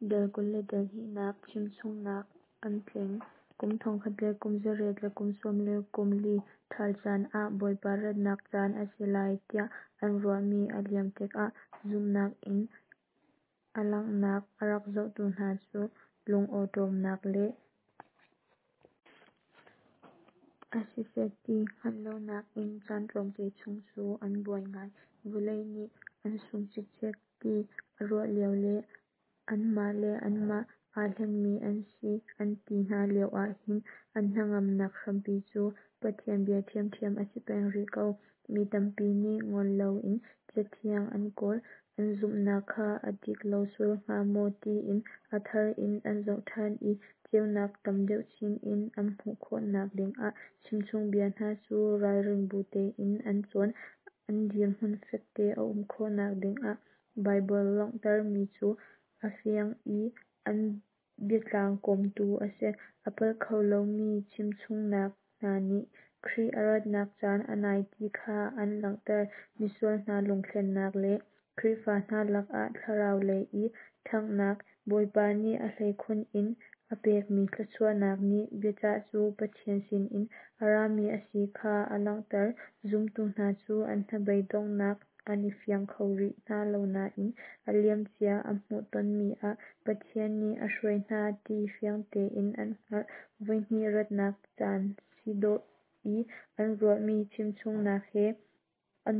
Dal 22nak chimchungnak an tling. Kum thongkhat le kum zariat le kum sawm le kum li ṭhal caan ah Bawipa ratnak caan a si lai tiah an ruahmi a liam tikah zumhnak in a langhnak a rak zohtu hna cu lungawṭawmnak le a si set ti hngalh lonak in caan tlawmte chung cu an buai ngai. Vawlei nih an sung cikcek ti a ruah lio le anmah le anmah aa hlengmi an si an ti hna lio ahhin an hnangamnak hrampi cu Pathian bia ṭhiamṭhiam a si peng rih ko. Mi tampi nih ngol loin Cathiang an kawl, an zumhnak kha a dik lo sual hnga maw tiin a thar in an zoh ṭhan i ceunak tam deuh chin in an hmuh khawhnak dingah chimchungbia hna cu ralrin bu tein an cawn. An dirhmun fekte a um khawhnak dingah Baibal langhtermi cu a fiang i an biatlang kawmtu a si. A palh kho lomi chimchungnak hna nih Khrih a ratnak caan a nai ti kha an langhter. Misual hna lungthlennak le Khrihfa hna lakah thlarau lei i ṭhanghnak, Bawipa nih a hleikhun in a pekmi thluachuahnak nih biacah cu Pathian sinin a rami a si kha a langhter. Zumtu hna cu an hnabei donghnak an i fiang kho rih hna lo nain a liamcia an hmuhtonmi ah Pathian nih a hruai hna ti fiang tein an hngalh. Voihnih ratnak caan si dawh i an ruahmi chimchungnak he an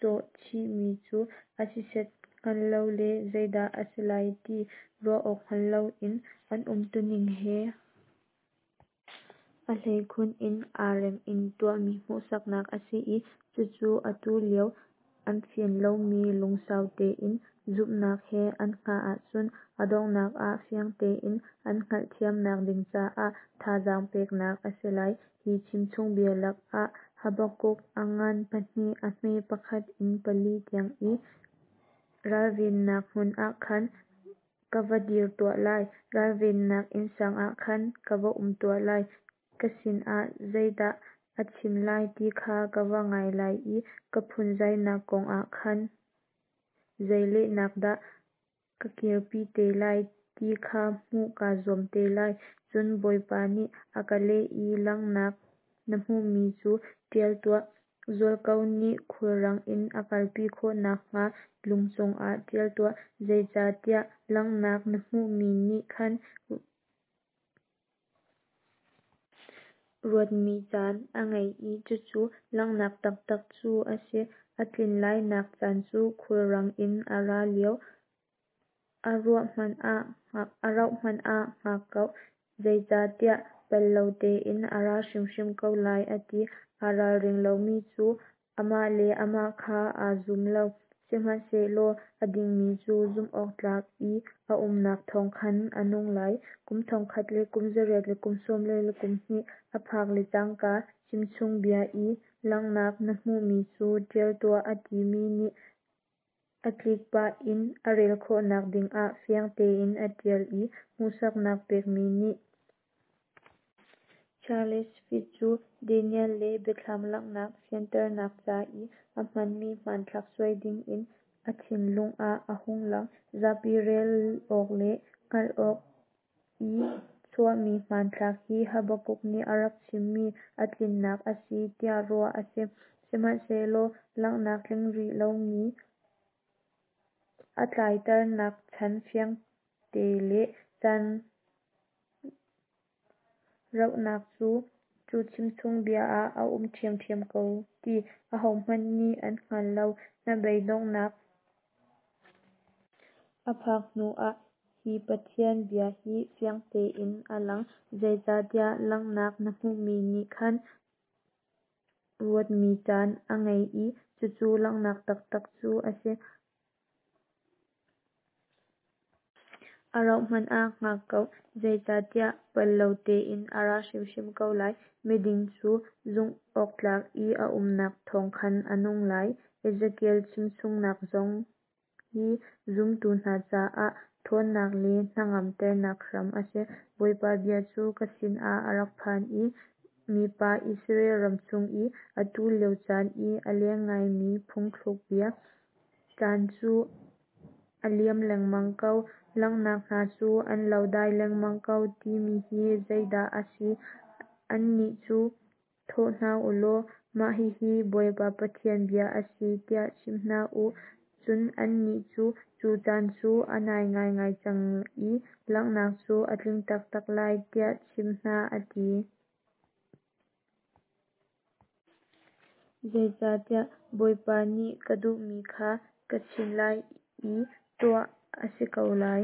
cawh chihmi cu a si set hngal lo le zeidah a si lai ti ruah awk hngal loin an umtuning he a hleikhun in aa rem in tuahmi hmuhsaknak a si i cucu atu lio an fian lomi lungsau tein zumhnak he an hngah ahcun a donghnak ah fiang tein an hngalhthiamnak ding caah thazaang peknak a si lai. Hi chimchungbia lakah Habakkuk a ngan pahnih a hme pakhat in pali tiang i ralvennak hmun ah khan ka va dir tuah lai, ralvennak innsang ah khan ka va um tuah lai. Ka sinah zeidah a chim lai ti kha ka va ngai lai i ka phunzainak kong ah khan zei lehnak dah ka kirpi te lai ti kha hmuh kaa zuam te lai. Cun Bawipa nih a ka leh i langhnak na hmuhmi cu ṭial tuah, zualko nih khulrang in a kalpi khawh nakhnga lung cungah ṭial tuah, zeicahtiah langhnak na hmuhmi nih khan ruatmi caan a ngei i cucu langhnak taktak cu a si. A tlin lainak caan cu khulrang in a ra lio, a rauh hmanh ah hngak ko, zeicahtiah pel lo tein a ra hrimhrim ko lai, a ti. Aa ralring lomi cu amah le amah kha aa zum lo, sihmanhsehlaw a dingmi cu zumhawktlak i a umnak thawng khan a nung lai. Kum thongkhat le kum zariat le kum sawm li le kum hnih a phak le cangka chimchungbia i langhnak na hmuhmi cu ṭial tuah a timi nih a tlik pah in a rel khawhnak dingah fiang tein a ṭial i hmuhsaknak pekmi nih Charles Fitt cu Daniel le Biathlam langhnak fianternak ca i a hmanmi hmanthlak suai dingin a thinlung ah a hung lang. Zapi rel awk le hngalh awk i chuahmi hmanthlak hi Habakkuk nih a rak chimmi a tlinnak a si tiah ruah a si. Sihmanhsehlaw langhnak tling rih lomi a tlaiternak chan fiangte le caan rauhnak cu cu chimchungbia ah a um ṭhiamṭhiam ko ti ahohmanh nih an hngal lo. Hnabei donghnak a phak hnuah hi Pathian bia hi fiang tein a lang, zeicahtiah langhnak na hmuhmi nih khan ruatmi caan a ngei i cucu langhnak taktak cu a si. A rauh hmanh ah hngak ko, zeicahtiah pel lo tein a ra hrimhrim ko lai. Miding cu zumhawktlak i a umnak thawng khan a nung lai. Ezekiel chimchungnak zong hi zumtu hna caah ṭhawnnak le hnangamternak hram a si. Bawipa bia cu ka sinah a rak phan i, Mipa, Israel ram chung i atu lio caan i a leng ngaimi phungthlukbia, Caan cu a liam lengmang ko, langhnak hna cu an lo dai lengmang ko, timi hi zeidah a si? Annih cu thawh hna u law, mah hihi Bawipa Pathian bia a si, tiah chim hna u. Cun annih cu, Cu caan cu a nai ngaingai cang i langhnak cu a tling taktak lai, tiah chim hna, a ti. Zeicahtiah Bawipa nih ka duhmi kha ka chim lai i tuah a si ko lai.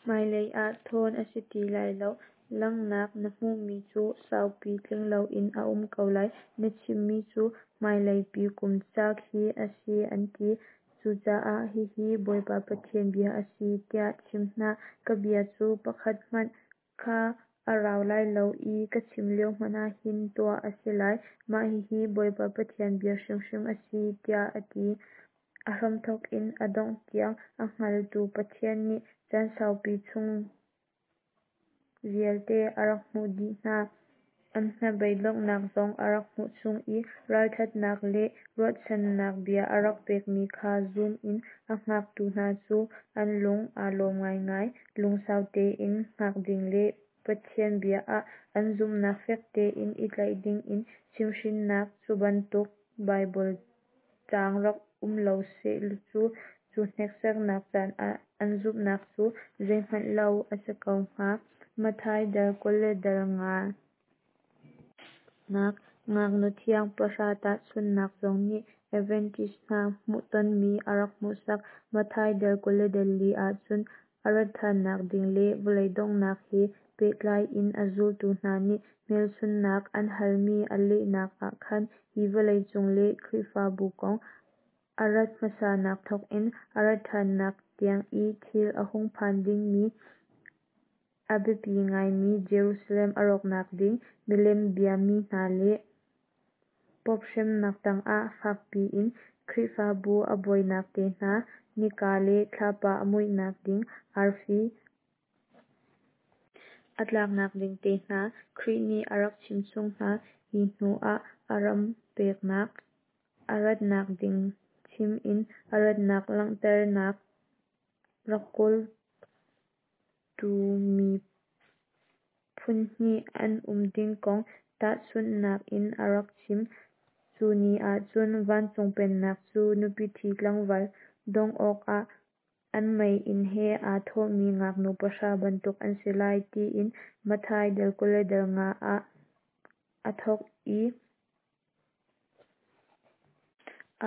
Hmailei ah thawn a si ti lai lo. Langhnak na hmuhmi cu saupi tling loin a um ko lai. Na chimmi cu hmaileipi kum ca khi a si, an ti. Cucaah hihi Bawipa Pathian bia a si, tiah chim hna. Ka bia cu pakhat hmanh kha a rau lai lo i ka chim lio hmanh ah hin tuah a si lai. Mah hihi Bawipa Pathian bia hrimhrim a si, tiah a ti. A hramthawk in a dongh tiang a hngaltu Pathian nih caan saupi chung vialte a rak hmuh dih hna. An hnabeidonghnak zong a rak hmuh chung i ralṭhatnak le ruahchannak bia a rak pekmi kha zum in a hngaktu hna cu an lung aa lawm ngaingai. Lungsau tein hngak ding le Pathian bia ah an zumhnak fek tein i tlaih dingin chimhhrinnak cu bantuk Baibal caang rak um lo seh cu, cu hneksaknak caan ah an zumhnak cu zeihmanh lo a si ko hnga. Matthai dal 25. Nak ngaknu thiang pahra tahchunhnak zong nih Adventist hna hmuhtonmi a rak hmuhsak. Matthai dal 24 ahcun a ratṭhannak ding le vawlei donghnak he pehtlai in a zultu hna nih hmelchunhnak an halmi a lehnak ah khan hi vawlei cung le Khrihfabu kong, a rat hmasanak thawkin a ratṭhannak tiang i thil a hung phan dingmi, a biapi ngaimi Jerusalem a rawknak ding, milem biami hna le Pope hremnak tangah fakpi in Khrihfabu a buainak te hna, nika le thlapa a muihnak ding, arfi a tlaknak ding te hna Khrih nih a rak chimchung hna. Hi hnu ah a ram peknak a ratnak ding chim in a ratnak langhternak rak kawltu mi phunhnih an um ding kong tahchunhnak in a rak chim. Cu ni ahcun vancung pennak cu nupi ṭhi tlangval don awkah an meiinn he aa thawhmi ngaknu pahra bantuk an si lai, tiin Matthai dal 25 ah aa thawk i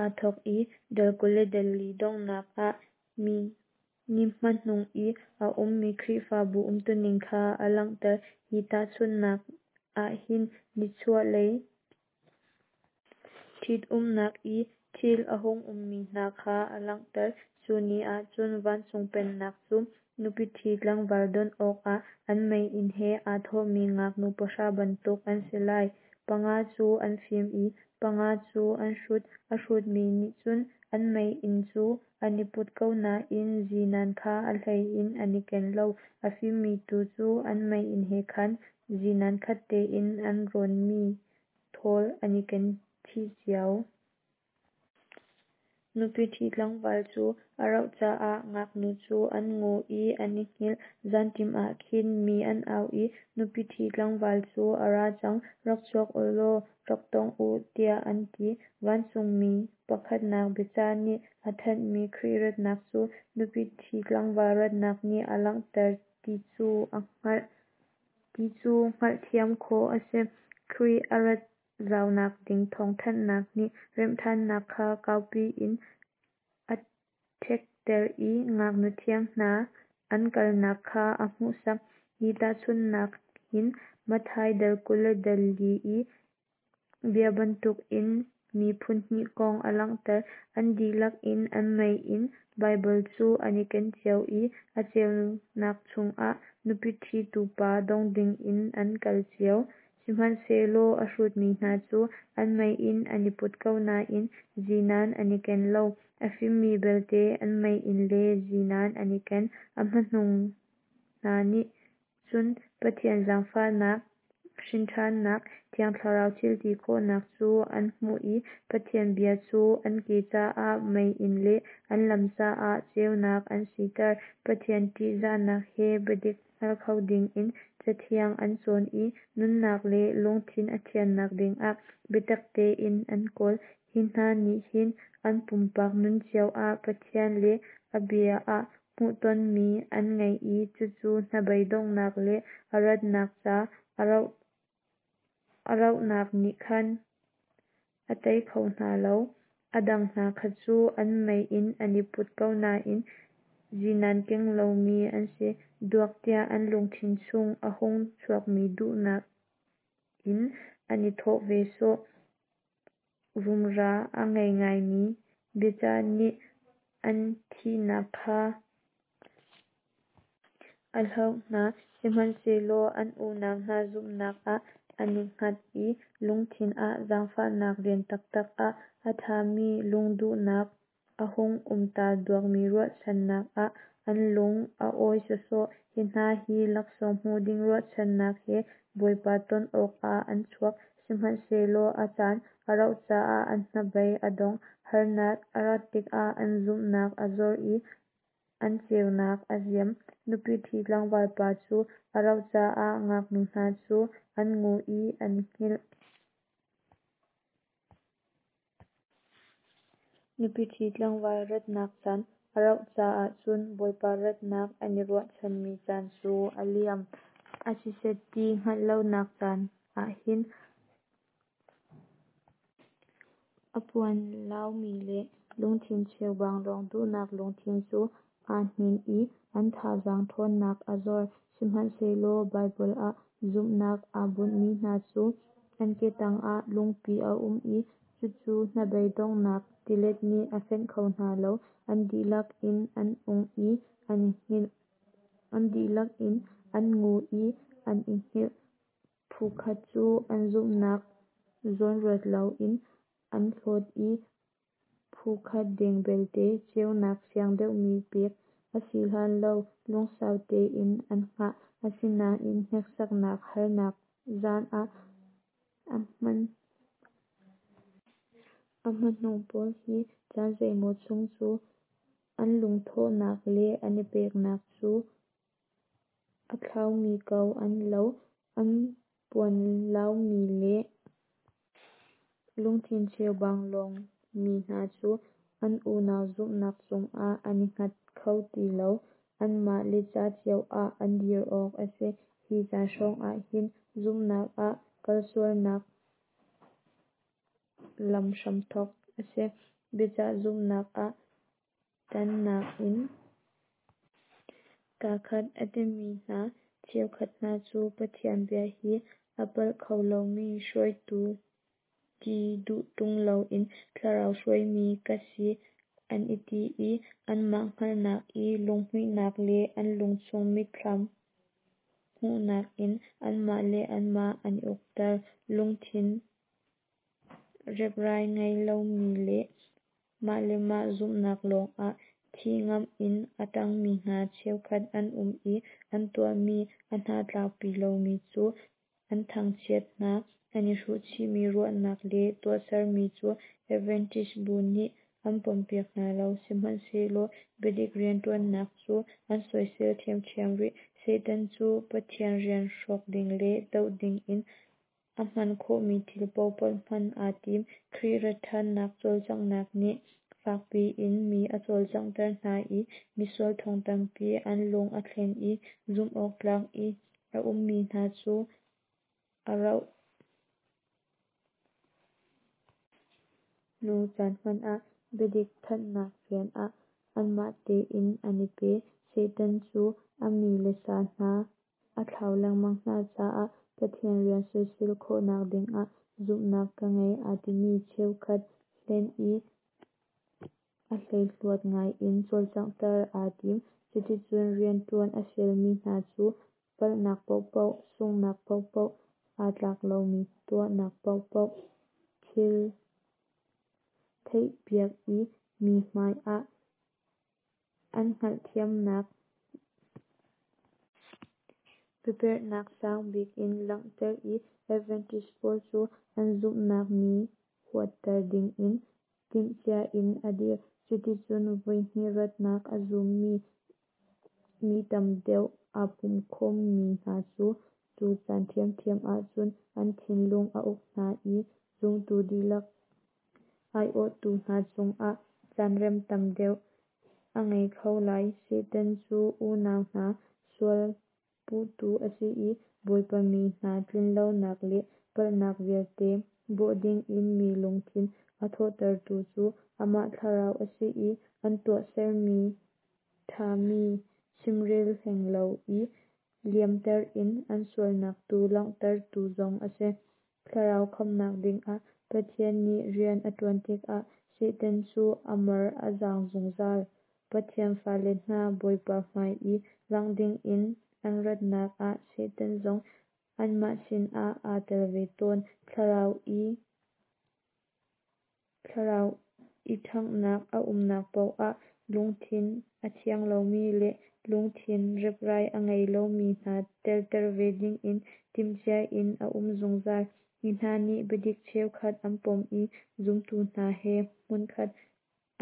aa thawk i dal 24 donghnak ah mi ni hmanung i a ummi Khrihfabu umtuning kha a langhter. Hi tahchunhnak ahhin nichuahlei ṭhitumnak i thil a hung ummi hna kha a langhter. Cu ni ahcun vancung pennak cu nupi ṭhi tlangval don awkah an meiinn he aa thawhmi ngaknu pahra bantuk an si lai. Panga cu an fim i panga cu an hrut. A hrutmi nih cun an meiinn cu an i put ko nain zinan kha a hlei in an i ken lo. A fimmi tu cu an meiinn he khan zinan khat tein an rawnmi thawl an i ken chih cio. Nupi ṭhi tlangval cu a rauh caah ngaknu cu an ngu i an i hngilh. Zanṭim ah khin mi an au i, Nupi ṭhi tlangval cu a ra cang, rak chuak u law rak tong u, tiah an ti. Vancungmi pakhatnak biacah nih a thanhmi Khrih ratnak cu nupi ṭhi tlangval ratnak nih a langhter ti cu a hngalh ti cu hngalhthiam khawh a si. Khrih a rat zaunak ding thawngthanhnak nih remhṭhannak kha kaupi in a ṭhekter i ngaknu thiang hna an kalnak kha a hmuhsak. Hi tahchunhnak hin Matthai dal 24 i bia bantukin mi phunhnih kong a langhter. An dihlak in an meiinn Baibal cu an i ken cio i a ceunak chungah nupi ṭhitu pa dong dingin an kal cio. Sihmanhsehlaw a hrutmi hna cu an meiinn an i put ko nain zinan an i ken lo. A fimmi belte an meiinn le zinan an i ken. A hmanung hna nih cun Pathian zaangfahnak Hrinṭhannak, Thiang Thlarau thilti khawhnak cu an hmuh i Pathian bia cu an ke caah meiinn le an lam caah ceunak an siter. Pathian ṭihzahnak he biadik hngal kho dingin Cathiang an cawn i nunnak le lungthin a thiannak dingah biatak tein an kawl. Hi hna nih hin an pumpak nun cio ah Pathian le a bia ah hmuhtonmi an ngei i cucu hnabeidonghnak le a ratnak ca a rauhnak nih khan a tei kho hna lo. A dang hna kha cu an meiinn an i put ko nain zinan keng lomi an si duak tiah an lungthin chung a hung chuakmi duhnak in an i thawh ve sawh. Rumra a ngei ngaimi biacah nih an thihnak kha a hloh hna, sihmanhsehlaw an unau hna zumhnak ah an i hngat i lungthin ah zaangfahnak rian taktak ah a ṭhami lungduhnak a hung um ta duakmi ruahchannak ah an lung a awi sawsawh. Hi hna hi laksawng hmu ding ruahchannak he Bawipa ton awkah an chuak, sihmanhsehlaw a caan a rauh caah an hnabei a dong. Harnak a rat tikah an zumhnak a zor i an ceunak a ziam. Nupi ṭhi tlangvalpa cu a rauh caah ngaknu hna cu an ngu i an i hngilh. Nupi ṭhi tlangval ratnak caan a rauh caah cun Bawipa ratnak an i ruahchanmi caan cu a liam. A si set ti hngalh lonak caan ah hin a puanlaumi le lungthin cheubang lawng duhnak lungthin cu aa hnin i an thazaang ṭhawnnak a zor. Sihmanhsehlaw Baibal ah zumhnak aa bunhmi hna cu an ke tangah lungpi a um i cucu hnabei donghnak tilet nih a fenh kho hna lo. An dihlak in an ung i an i hngilh. An dihlak in an ngu i an i hngilh. Phu khat cu an zumhnak zawnruat loin an hlawt i phu khat deng belte ceunak fiang deuhmi pek a si hlan lo lungsau tein an hngah. Asinain hneksaknak harnak zan ah a hmahnung pawl hi caan zeimaw chung cu an lungthawhnak le an i peknak cu a thlaumi ko an lo. An puanlaumi le lungthin cheubang lawngmi hna cu an unau zumhnak cungah an i hngat kho ti lo. Anmah le ca cio ah an dir awk a si. Hi caan hrawngah hin zumhnak ah kalsualnak lam hramthawk a si. Biacah zumhnak ah ṭannak in kaa khat a timi hna cheukhat hna cu Pathian bia hi a palh kho lomi hruaitu ti duh ṭung loin Thlarau hruaimi ka si an i ti i anmah hngalhnak i lunghmuihnak le an lungchung mitthlam hmuhnak in anmah le anmah an i ukter. Lungthin reprai ngei lomi le mah le mah zumhnak lawngah thih ngamh in a ṭangmi hna cheukhat an um i an tuahmi a hnatlakpi lomi cu an thangchiat hna. An i hruhchihmi ruahnak le tuahsermi cu Adventist bu nih an pompiak hna lo. Sihmanhsehlaw biadik rianṭuannak cu an soisel ṭhiamṭhiam rih. Satan cu Pathian rian hrawk ding le doh dingin a hman khawhmi thil paohpaoh hman aa tim. Khrih rat ṭhannak cawlcanghnak nih fakpi in mi a cawlcanghter hna i misual thong tampi an lung a thlen i zumh awktlak i a ummi hna cu a rauh hnu caan hmanh ah biadik thanhnak rian ah anmah tein an i pe. Satan cu a mi le sa hna a thlau lengmang hna caah Pathian rian soisel khawhnak dingah zumhnak ka ngei aa timi cheukhat hlen i a hleihluat ngaiin cawlcanghter aa tim. Cuticun rianṭuan a fialmi hna cu palhnak paohpaoh, sunghnak paohpaoh, aa tlak lomi tuahnak paohpaoh thil theihpiak i mi hmai ah an hngalhthiamnak Biaperhnak sangbik in langhter i Adventist pawl cu an zumhnak nih huatter dingin timhcia in a dir. Cuticun voihnih ratnak a zummi mi tam deuh aa pumkhawm mi hna cu, cu caan ṭhiamṭhiam ahcun an thinlung a uk hna i zumtu dihlak aiawhtu hna cungah caanrem tam deuh a ngei kho lai. Satan cu unau hna sualpuhtu a si i Bawipa mi hna tlinlonak le palhnak vialte bawh dingin mi lungthin a thawhtertu cu amah thlarau a si i an tuahsermi ṭhami chimrel hleng lo i liamter in an sualnak tu langhtertu zong a si. Thlarau khamhnak dingah Pathian nih rian a ṭuan tikah Satan cu a mar a zaang zungzal. Pathian fale hna Bawipa hmai i langh dingin an ratnak ah Satan zong anmah sinah aa tel ve tawn. Thlarau i ṭhanghnak a umnak paoh ah lungthin a thiang lomi le lungthin reprai a ngei lomi hna telter ve dingin timhcia in a um zungzal. Hi hna nih biadik cheukhat an pom i zumtu hna he hmunkhat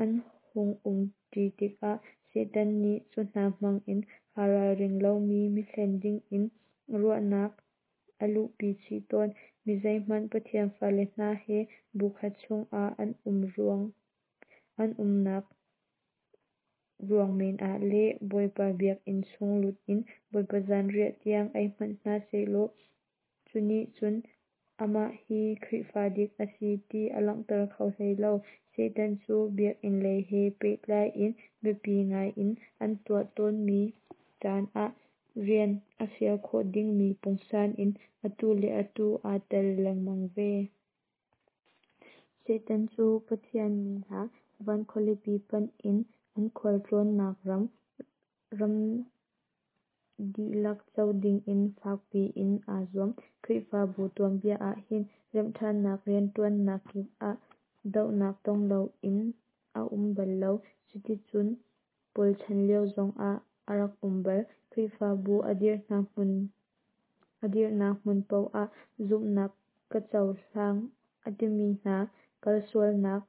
an hung um ṭi tikah Satan nih cu hna hmangin aa ralring lomi mi hlen dingin ruahnak a luhpi chih tawn. Mi zeihmanh Pathian fale hna he bukhat chungah an umnak ruang men ah le Bawipa biakinn chung lut in Bawipa zanriah tiang ei hmanh hna sehlaw cu nih cun amah hi Khrihfa dik a si ti a langhter kho hlei lo. Satan cu biakinn lei he pehtlai in biapi ngai in an tuah tawnmi caan ah rian a fial khawh dingmi pungsan in atu le atu aa tel lengmang ve. Satan cu Pathian mi hna van khualipi panh in an khualtlawnnak ram dihlak co dingin fakpi in aa zuam. Khrihfabu tuanbia ah hin remhṭhannak rianṭuannak kip ah dohnak tong loin a um bal lo. Cuticun Paul chan lio zongah a rak um bal. Khrihfabu a dirhnak hmun paoh ah zumhnak ka cohlang a timi hna kalsualnak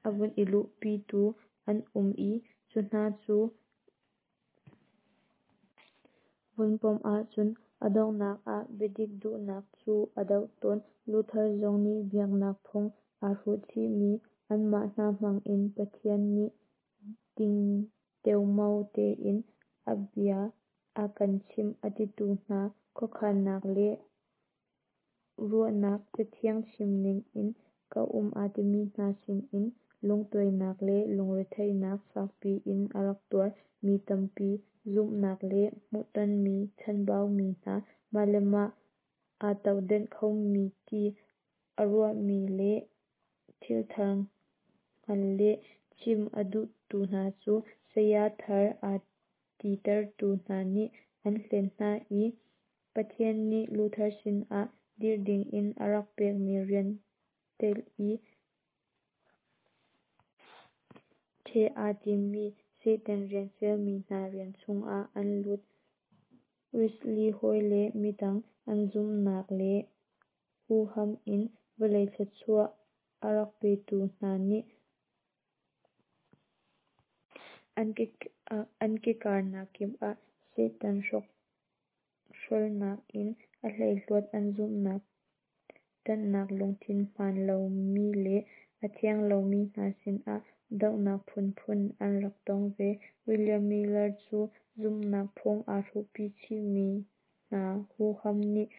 a vun i luhpitu an um i cu hna cu vun pom ahcun a donghnak ah biadik duhnak cu a doh tawn. Luther zong nih biaknak phung aa hruhchihmi, anmah hna hmangin Pathian nih ding teomao tein a bia a kan chimh a titu hna khuakhannak le ruahnak Cathiang chimning in ka um aa timi hna sinin lungtuainak le lungretheihnak fakpi in a rak tuar. Mi tampi zumhnak le hmuhtonmi chanbaumi hna, mah le mah aa tohdenh khomi ti aa ruahmi le thilthar hngalh le chim a duhtu hna cu saya thar aa titertu hna nih an hlen hna i Pathian nih Luther sinah dirh dingin a rak pekmi rian telh i ṭheh aa timmi Satan rian fialmi hna rian chungah an lut. Wesley hawi le midang an zumhnak le huham in vawlei thluachuah a rak petu hna nih an ke karnak kip ah Satan hrokhrolnak in a hleihluat an zumhnak ṭanhnak lungthin hmaan lomi le a thiang lomi hna sinah dohnak phunphun an rak tong ve. William Miller cu zumhnak phung aa hruhpi chihmi hna huham nih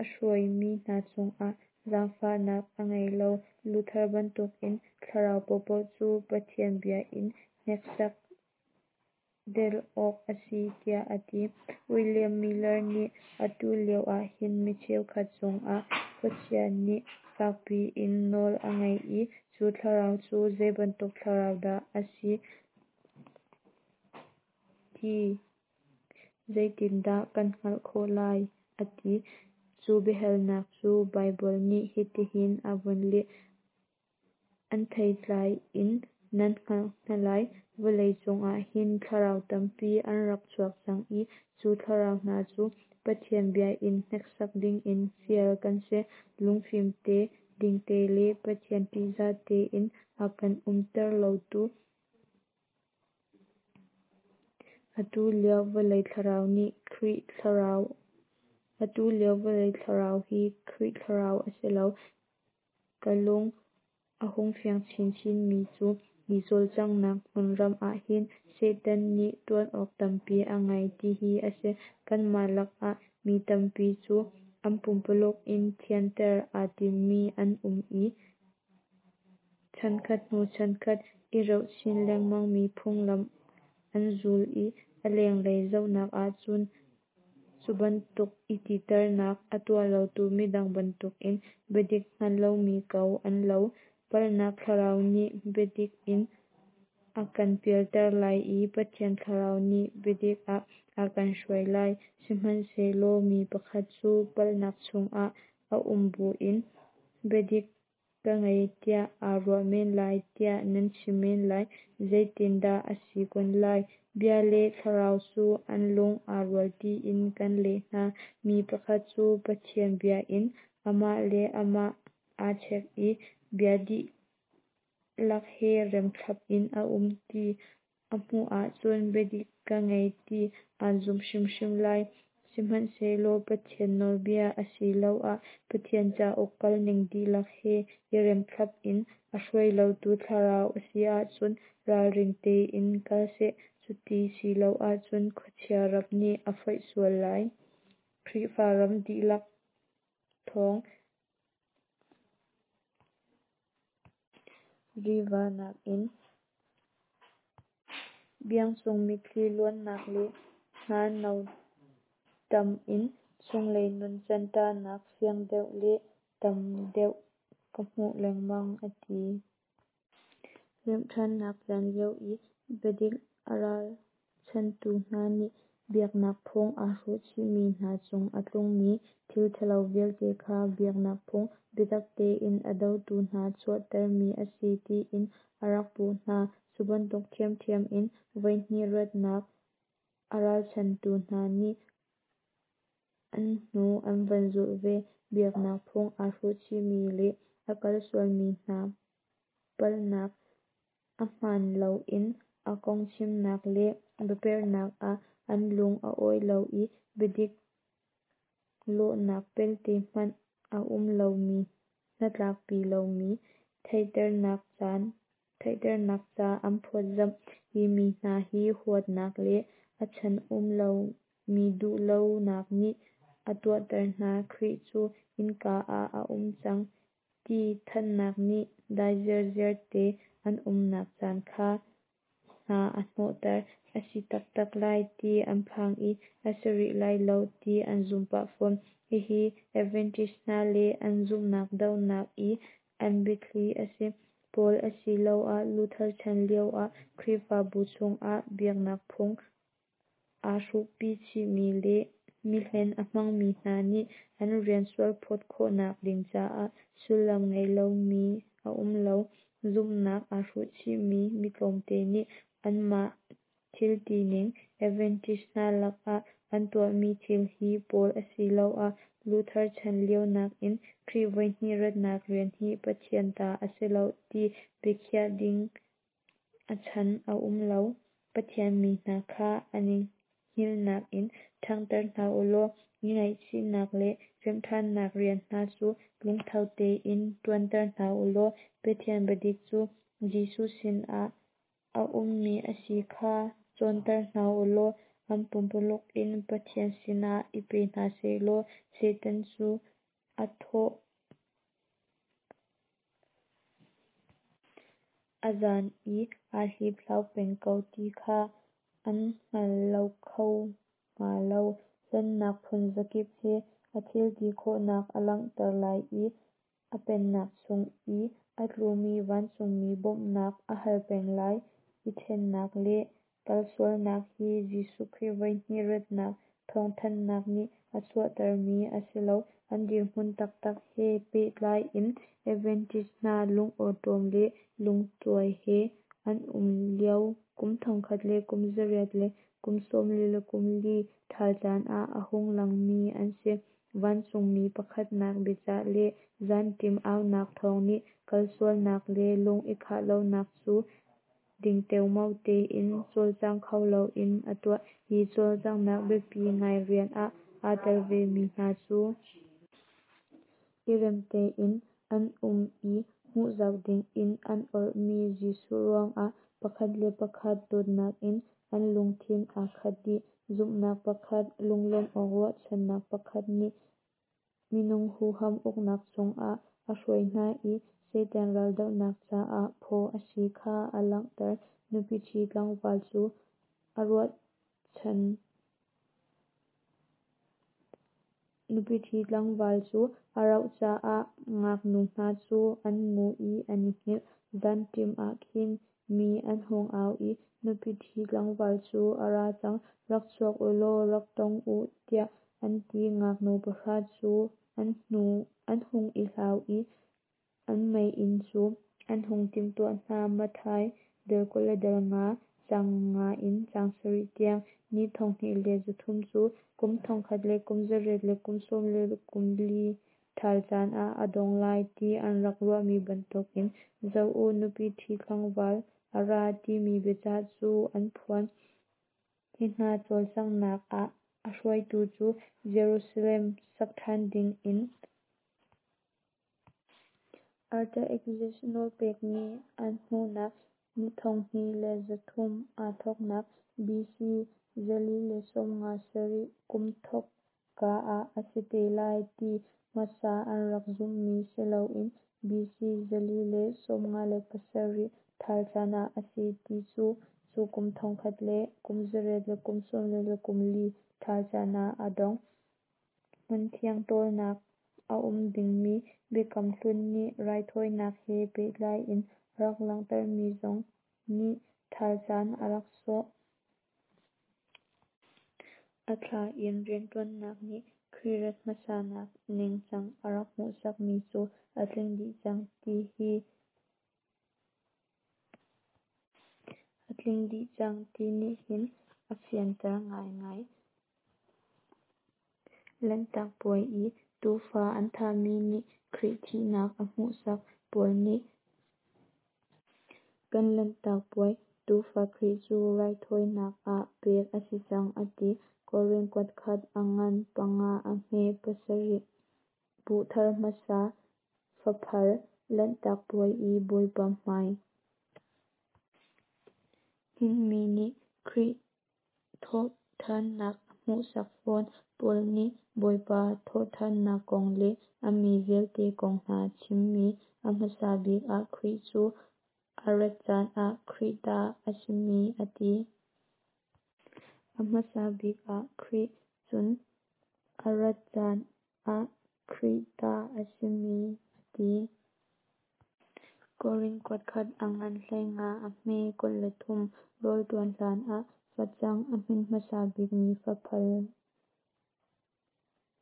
a hruaimi hna cungah zaangfahnak a ngei lo. Luther bantukin thlarau paohpaoh cu Pathian bia in hneksak del awk a si tiah a ti. William Miller nih atu lio ahhin mi cheukhat cungah khuachia nih fakpi in nawl a ngei i cu thlarau cu zeibantuk thlarau dah a si ti zeitindah kan hngalh khawh lai? a ti. Cu biahalnak cu Baibal nih hitihin a vun leh. An theitlai in nan hngalh hna lai. Vawlei cungah hin thlarau tampi an rak chuak cang i cu thlarau hna cu Pathian bia in hneksak dingin fial kan si. Lungfim te, dingte le Pathian ṭihzah tein a kan umter lotu atu lio vawlei thlarau nih Khrih thlarau atu lio vawlei thlarau hi Khrih thlarau a si lo. Ka lung a hung fiang chinchinmi cu hi cawlcanghnak hmunram ahhin Satan nih ṭuan awk tampi a ngei tihi a si. Kanmah lakah mi tampi cu an pumpululuk in thianter aa timmi an um i chankhat hnu chankhat i reuh chin lengmangmi phunglam an zul i a lenglei zohnak ahcun cubantuk i titernak a tuah lotu midang bantukin biadik hngal lomi ko an lo. Palhnak thlarau nih biadik in a kan pialter lai i Pathian thlarau nih biadik ah a kan hruai lai. Sihmanhsehlaw mi pakhat cu palhnak chungah a um buin biadik ka ngei tiah aa ruah men lai tiah nan chim men lai. Zeitindah a si kun lai? Bia le Thlarau cu an lung aa rual tiin kan leh hna. Mi pakhat cu Pathian bia in amah le amah aa chek i bia dihlak he remthlap in a um ti a hmuh ahcun biadik ka ngei ti aa zum hrimhrim lai. Sihmanhsehlaw Pathian nawlbia asiloah Pathian cauk kalning dihlak he i remthlap in a hruai lotu thlarau a si ahcun ralring tein kal seh, cuti si lo ahcun khuachia rap nih a foih sual lai. Khrihfa ram dihlak thawng riva nakin biangcung mitthli luannak le hna no ṭam in chunglei nuncan ṭahnak fiang deuh le tam deuh ka hmuh lengmang, a ti. Remhṭhannak caan lio i biadik a ralchanhtu hna nih biaknak phung aa hruhchihmi hna cung a tlungmi thil ṭhalo vialte kha biaknak phung biatak tein a dotu hna chuahtermi a si tiin a rak puh hna. Cubantuk ṭhiamṭhiam in voihnih ratnak a ralchanhtu hna nih an hnu an van zulh ve. Biaknak phung aa hruhchihmi le a kalsualmi hna palhnak, a hmaan loin a kong chimnak le biaperhnak ah an lung a awi lo i biadik lawhnak pelte hmanh a um lomi hnatlakpi lomi theihternak ca an phawtzamh. Hi mi hna hi huatnak le a chan um lomi duhlonak nih a tuahter hna. Khrih cu innka ah a um cang ti thanhnak nih dai zirziar te an umnak caan kha hna a hnawhter. A si taktak lai ti an phang i a si rih lai lo ti an zum pah fawn. Hihi Adventist hna le an zumhnak dohnak i an biathli a si. Paul asiloah Luther chan lioah Khrihfabu chungah biaknak phung aa hruhpi chihmi le mihlen a hmangmi hna nih an rian sualphawt khawhnak ding caah sullam ngei lomi a um lo. Zumhnak aa hruhchihmi mi tlawmte nih anmah thiltining Adventist hna lakah an tuahmi thil hi Paul asiloah Luther chan lio nakin Khrih voihnih ratnak rian hi Pathian ta a si lo ti biakhiah ding a chan a um lo. Pathian mi hna kha an i hngilhnak in ṭhanghter hna u law i ngaihchihnak le remhṭhannak rian hna cu lungtho tein ṭuanter hna u law Pathian biadik cu Jesuh sinah a ummi a si kha cawnter hna u law an pumpululuk in Pathian sinah i pe hna sehlaw Satan cu a thawh a zan i aa hliphlau peng ko ti kha an hngal lo kho hnga lo. Hlennak phunzakip he a thilti khawhnak a langhter lai i a pennak chung i a tlumi vancungmi bawmhnak a hal peng lai. I ṭhennak le kalsualnak hi Jesuh Khrih voihnih ratnak thawngthanhnak nih a chuahtermi a si lo. An dirhmun taktak he pehtlai in Adventist hna lungawṭawm le lungtuai he an um lio kum thongkhat le kum zariat le kum 44 ṭhal caan ah a hung langmi an si. Vancungmi pakhatnak biacah le zanṭim aunak thawng nih kalsualnak le lung i khah lonak cu ding teomao tein cawlcang kho loin a tuah. Hi cawlcanghnak biapi ngai rian ah aa tel vemi hna cu. I rem tein an um i hmuhzau dingin an orhmi Jesuh ruangah pakhat le pakhat dawtnak in an lungthin aa khat dih. Zumhnak pakhat, lunglawmh awk ruahchannak pakhat nih minung huham uknak chungah a hruai hna i Satan raldohnak caah phaw a si kha a langhter. Nupi ṭhi tlangval cu a ruahchan Nupi ṭhi tlangval cu a rauh caah ngaknu hna cu an ngu i an i hngilh. Zanṭim ah khin mi an hung au i, Nupi ṭhi tlangval cu a ra cang, rak chuak u law rak tong u, tiah an ti. Ngaknu pahra cu an hung i hlau i an meiinn cu an hung timhtuah hna. Matthai dal 25, caang 5 in caang 7 tiang. Ni 2300 cu kum thongkhat le kum zariat le kum 44 ṭhal caan ah a dong lai ti an rak ruahmi bantukin Zoh u, nupi ṭhi tlangval a ra timi biacah cu an phuan. Hi hna cawlcanghnak ah a hruaitu cu Jerusalem sak ṭhan dingin Artaxerxes nawlpekmi an hmuhnak ni 2300 aa thawknak BC 457 kum thawkka ah a si te lai ti hmasa an rak zumhmi si loin BC 457 ṭhal caan ah a si ti cu cu kum thongkhat le kum zariat le kum 44 ṭhal caan ah a dong. Hmunthiang tawlnak a um dingmi Biakam Hlun nih raithawinak he pehtlai in a rak langhtermi zong nih ṭhal caan a rak sawh. A thla in rianṭuannak nih Khrih rat hmasanak ningcang a rak hmuhsakmi cu a tling dih cang ti hi a tling dih cang ti nih hin a fianter ngaingai. Lanhtak Puai i tuufa an thahmi nih Khrih thihnak a hmuhsak. Paul nih Kan Lanhtak Puai tuufa Khrih cu raithawinak ah pek a si cang a ti. Korin kuatkhat a ngan panga a hme pasarih. Buh thar hmasa faphal Lanhtak Puai i Bawipa hmai hninhmi nih Khrih thawhṭhannak a hmuhsak fawn. Paul nih Bawipa thawhṭhannak kong le a mi vialte kong hna chimmi a hmasa bik ah Khrih cu a rat caan ah Khrih ta a simi a ti. A hmasa bik ah Khrih, cun a rat caan ah Khrih ta a simi a ti. Korin kuatkhat a ngan 15 a hme 23. Rawl ṭuan hlan ah facang a hmin hmasa bikmi faphal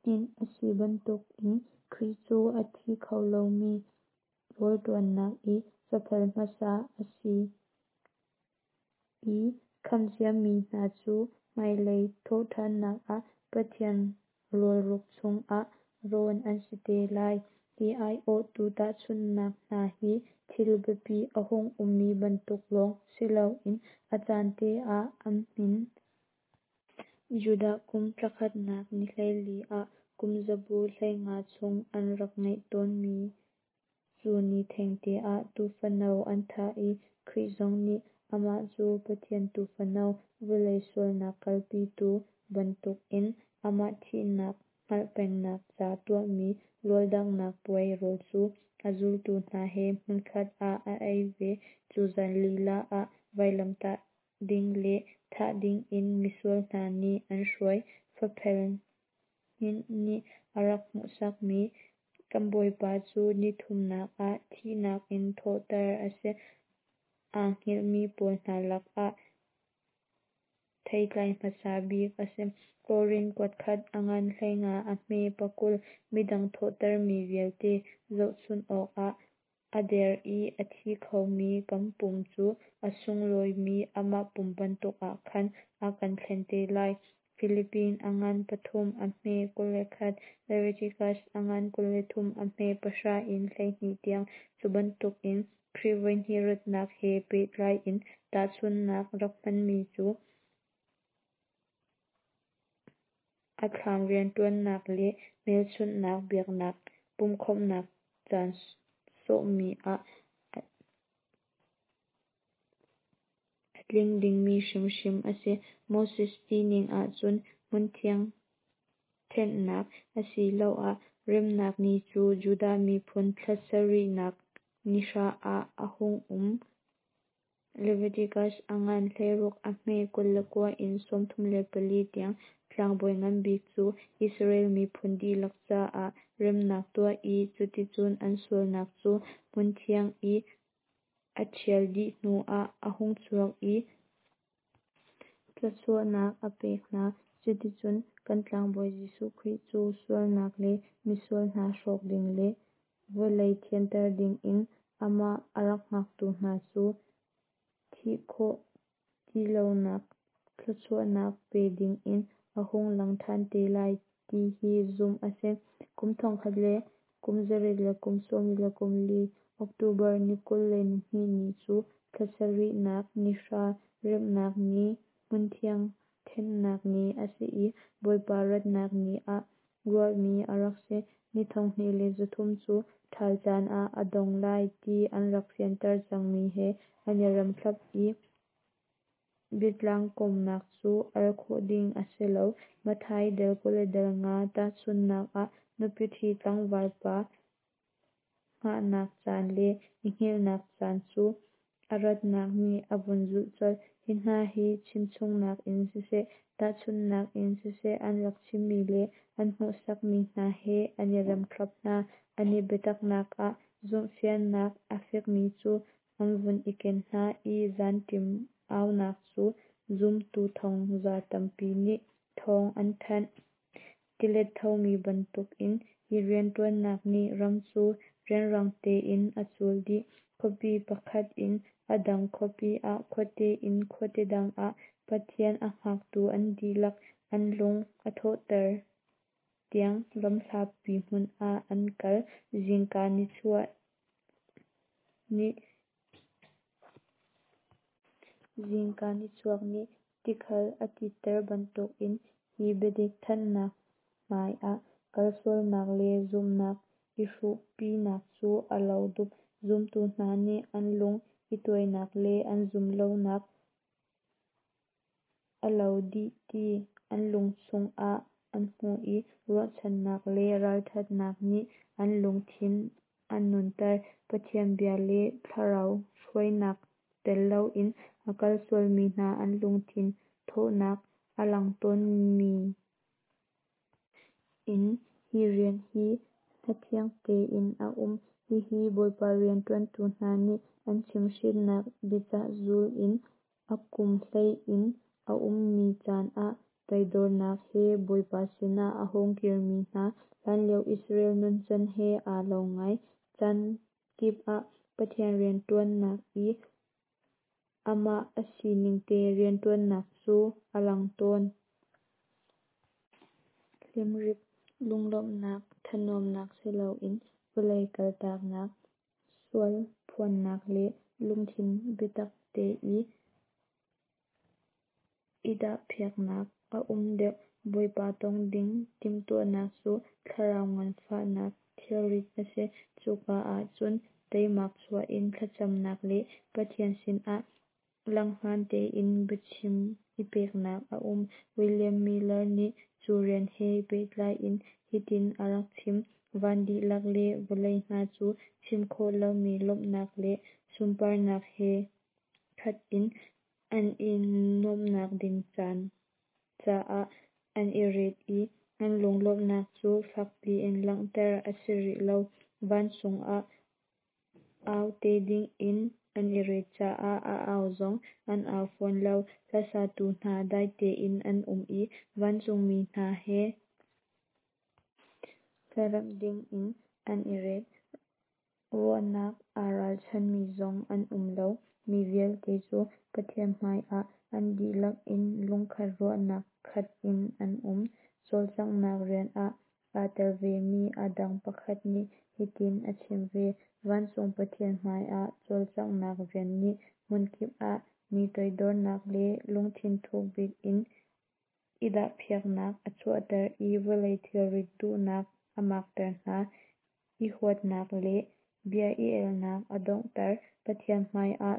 hninh a si bantukin Khrih cu a thi kho lomi rawl ṭuannak i faphal hmasa a si i khamh ciami hna cu hmailei thawhṭhannak ah Pathian rawlruk chungah rawn an si te lai. Hi aiawhtu tahchunhnak hna hi thil biapi a hung ummi bantuk lawng si loin a caan te ah an hmin. Judah kum thlakhatnak ni 14 ah kum zabu 15 chung an rak ngeih tawnmi cu ni thengte ah tuufano an thah i Khrih zong nih amah cu Pathian Tuufano, vawlei sualnak kalpitu bantukin amah thihnak hngalh pengnak ca tuahmi rawldanghnak puai rawl cu a zultu hna he hmunkhat ah a ei ve. Cu zan lila ah vailamtah ding le thah dingin misual hna nih an hruai. Faphel hninh nih a rak hmuhsakmi kan Bawipa cu nithumnak ah thihnak in thawhter a si. Aa hngilhmi pawl hna lakah theitlai hmasa bik a si. Korin kuatkhat a ngan 15 a hme 20. Midang thawhtermi vialte zohchunh awkah. A der i a thi khomi kan pum cu a sunglawimi amah pum bantuk ah khan a kan thlen te lai. Filipi a ngan 3 a hme 21, Leviticus a ngan 23 a hme 10 in 12 tiang. Cu bantukin Khrih voihnih ratnak he pehtlai in tahchunhnak rak hmanmi cu a thlam rianṭuannak le hmelchunhnak biaknak pumhkhawmhnak caan sawhmi ah a tling dingmi hrimhrim a si. Moses sining ahcun hmunthiang thenhnak asiloah remnak ni cu Judah miphun thla sarihnak nihra ah a hung um. Leviticus a ngan 16 a hme 29 in 34 tiang. Tlangbawi ngan bik cu Israel miphun dihlak caah remnak tuah i cuticun an sualnak cu hmunthiang i a ṭhial dih hnuah a hung chuak i thluachuahnak a pek hna. Cuticun kan tlangbawi Jesuh Khrih cu sualnak le misual hna hrawk ding le vawlei thianter dingin amah a rak hngaktu hna cu thih khawh ti lonak thluachuahnak pe dingin a hung lang ṭhan te lai ti hi zumh a si. Kum thongkhat le kum zariat le kum sawmli le kum li October ni 22 ni cu thla sarihnak nihra remnak ni hmunthiang thenhnak ni a si i Bawipa ratnak ni ah ruahmi a rak si. Ni 2300 cu ṭhal caan ah a dong lai ti an rak fianter cangmi he an i rem thlap i biatlang kawmnak cu al khawh ding a si lo. Matthai dal 25 tahchunhnak ah nupi ṭhi tlangval pa hngahnak caan le i hngilhnak caan cu a ratnak nih a vun zulh colh. Hi hna hi chimchungnak in siseh, tahchunhnak in siseh an rak chimmi le an hmuhsakmi hna he an i rem thlap hna. An i biataknak ah zumhfiannak a fekmi cu an vun i ken hna i zanṭim aunak cu zumtu thongza tampi nih thawng an thanh. Tilet thomi bantukin hi rianṭuannak nih ram cu rianrang tein a cul dih. Khuapi pakhat in a dang khuapi ah, khuate in khuate dang ah Pathian a hngaktu an dihlak an lung a thawhter tiang ram hlapi hmun ah an kal. Zingka nichuah nih Zingka nichuak nih tikhal a titter bantukin hi biadik thanhnak hmai ah kalsualnak le zumhnak i hruhpinak cu a lo dup. Zumtu hna nih an lung i tuainak le an zumhlonak a lo dih ti an lungchung ah an hmuh i ruahchannak le ralṭhatnak nih an lungthin a nunter. Pathian bia le Thlarau hruainak tel loin a kal sualmi hna an lungthin thawhnak a lang tawnmi in hi rian hi hnathiang tein a um. Hihi Bawipa rianṭuantu hna nih an chimhhrinnak biacah zul in a kum hlei in a ummi caan ah toidornak he Bawipa sinah a hung kirmi hna hlanlio Israel nuncan he aa lo ngai. Caan kip ah Pathian rianṭuannak i amah a siningte rianṭuannak cu a lang tawn. Hlimrip lunglawmhnak thanuamnak si loin vawlei kaltaknak, sual phuannak le lungthin biatak te i i dahphiaknak a um deuh. Bawipa tong ding timhtuahnak cu thlarau nganfahnak thilrit a si. Cuka ahcun teimak chuah in thlacamnak le Pathian sinah langhngan tein biachim i peknak a um. William Miller nih cu rian he pehtlai in hitin a rak chim: Van dihlak le vawlei hna cu chim khawh lomi lawmhnak le sunparnak he khat in an i nuamhnak ding caan caah an i ret i an lunglawmhnak cu fakpi in langhter a si rih lo. Vancung ah au te dingin an i ret caah a au zong an au fawn lo. Hlasatu hna dai tein an um i vancungmi hna he hlaremh dingin an i ret. Ruahnak aa ralchanmi zong an um lo. Mi vialte cu Pathian hmaiah an dihlak in lungkhat ruahnak khat in an um. Cawlcanghnak rian ah aa tel vemi a dang pakhat nih hitin a chim ve: Vancung Pathian hmaiah cawlcanghnak rian nih hmunkip ah mi toidornak le lungthin thukbik in i dahpiaknak a chuahter i vawlei thilrit duhnak a makter hna, i huatnak le bia i elnak a donghter, Pathian hmaiah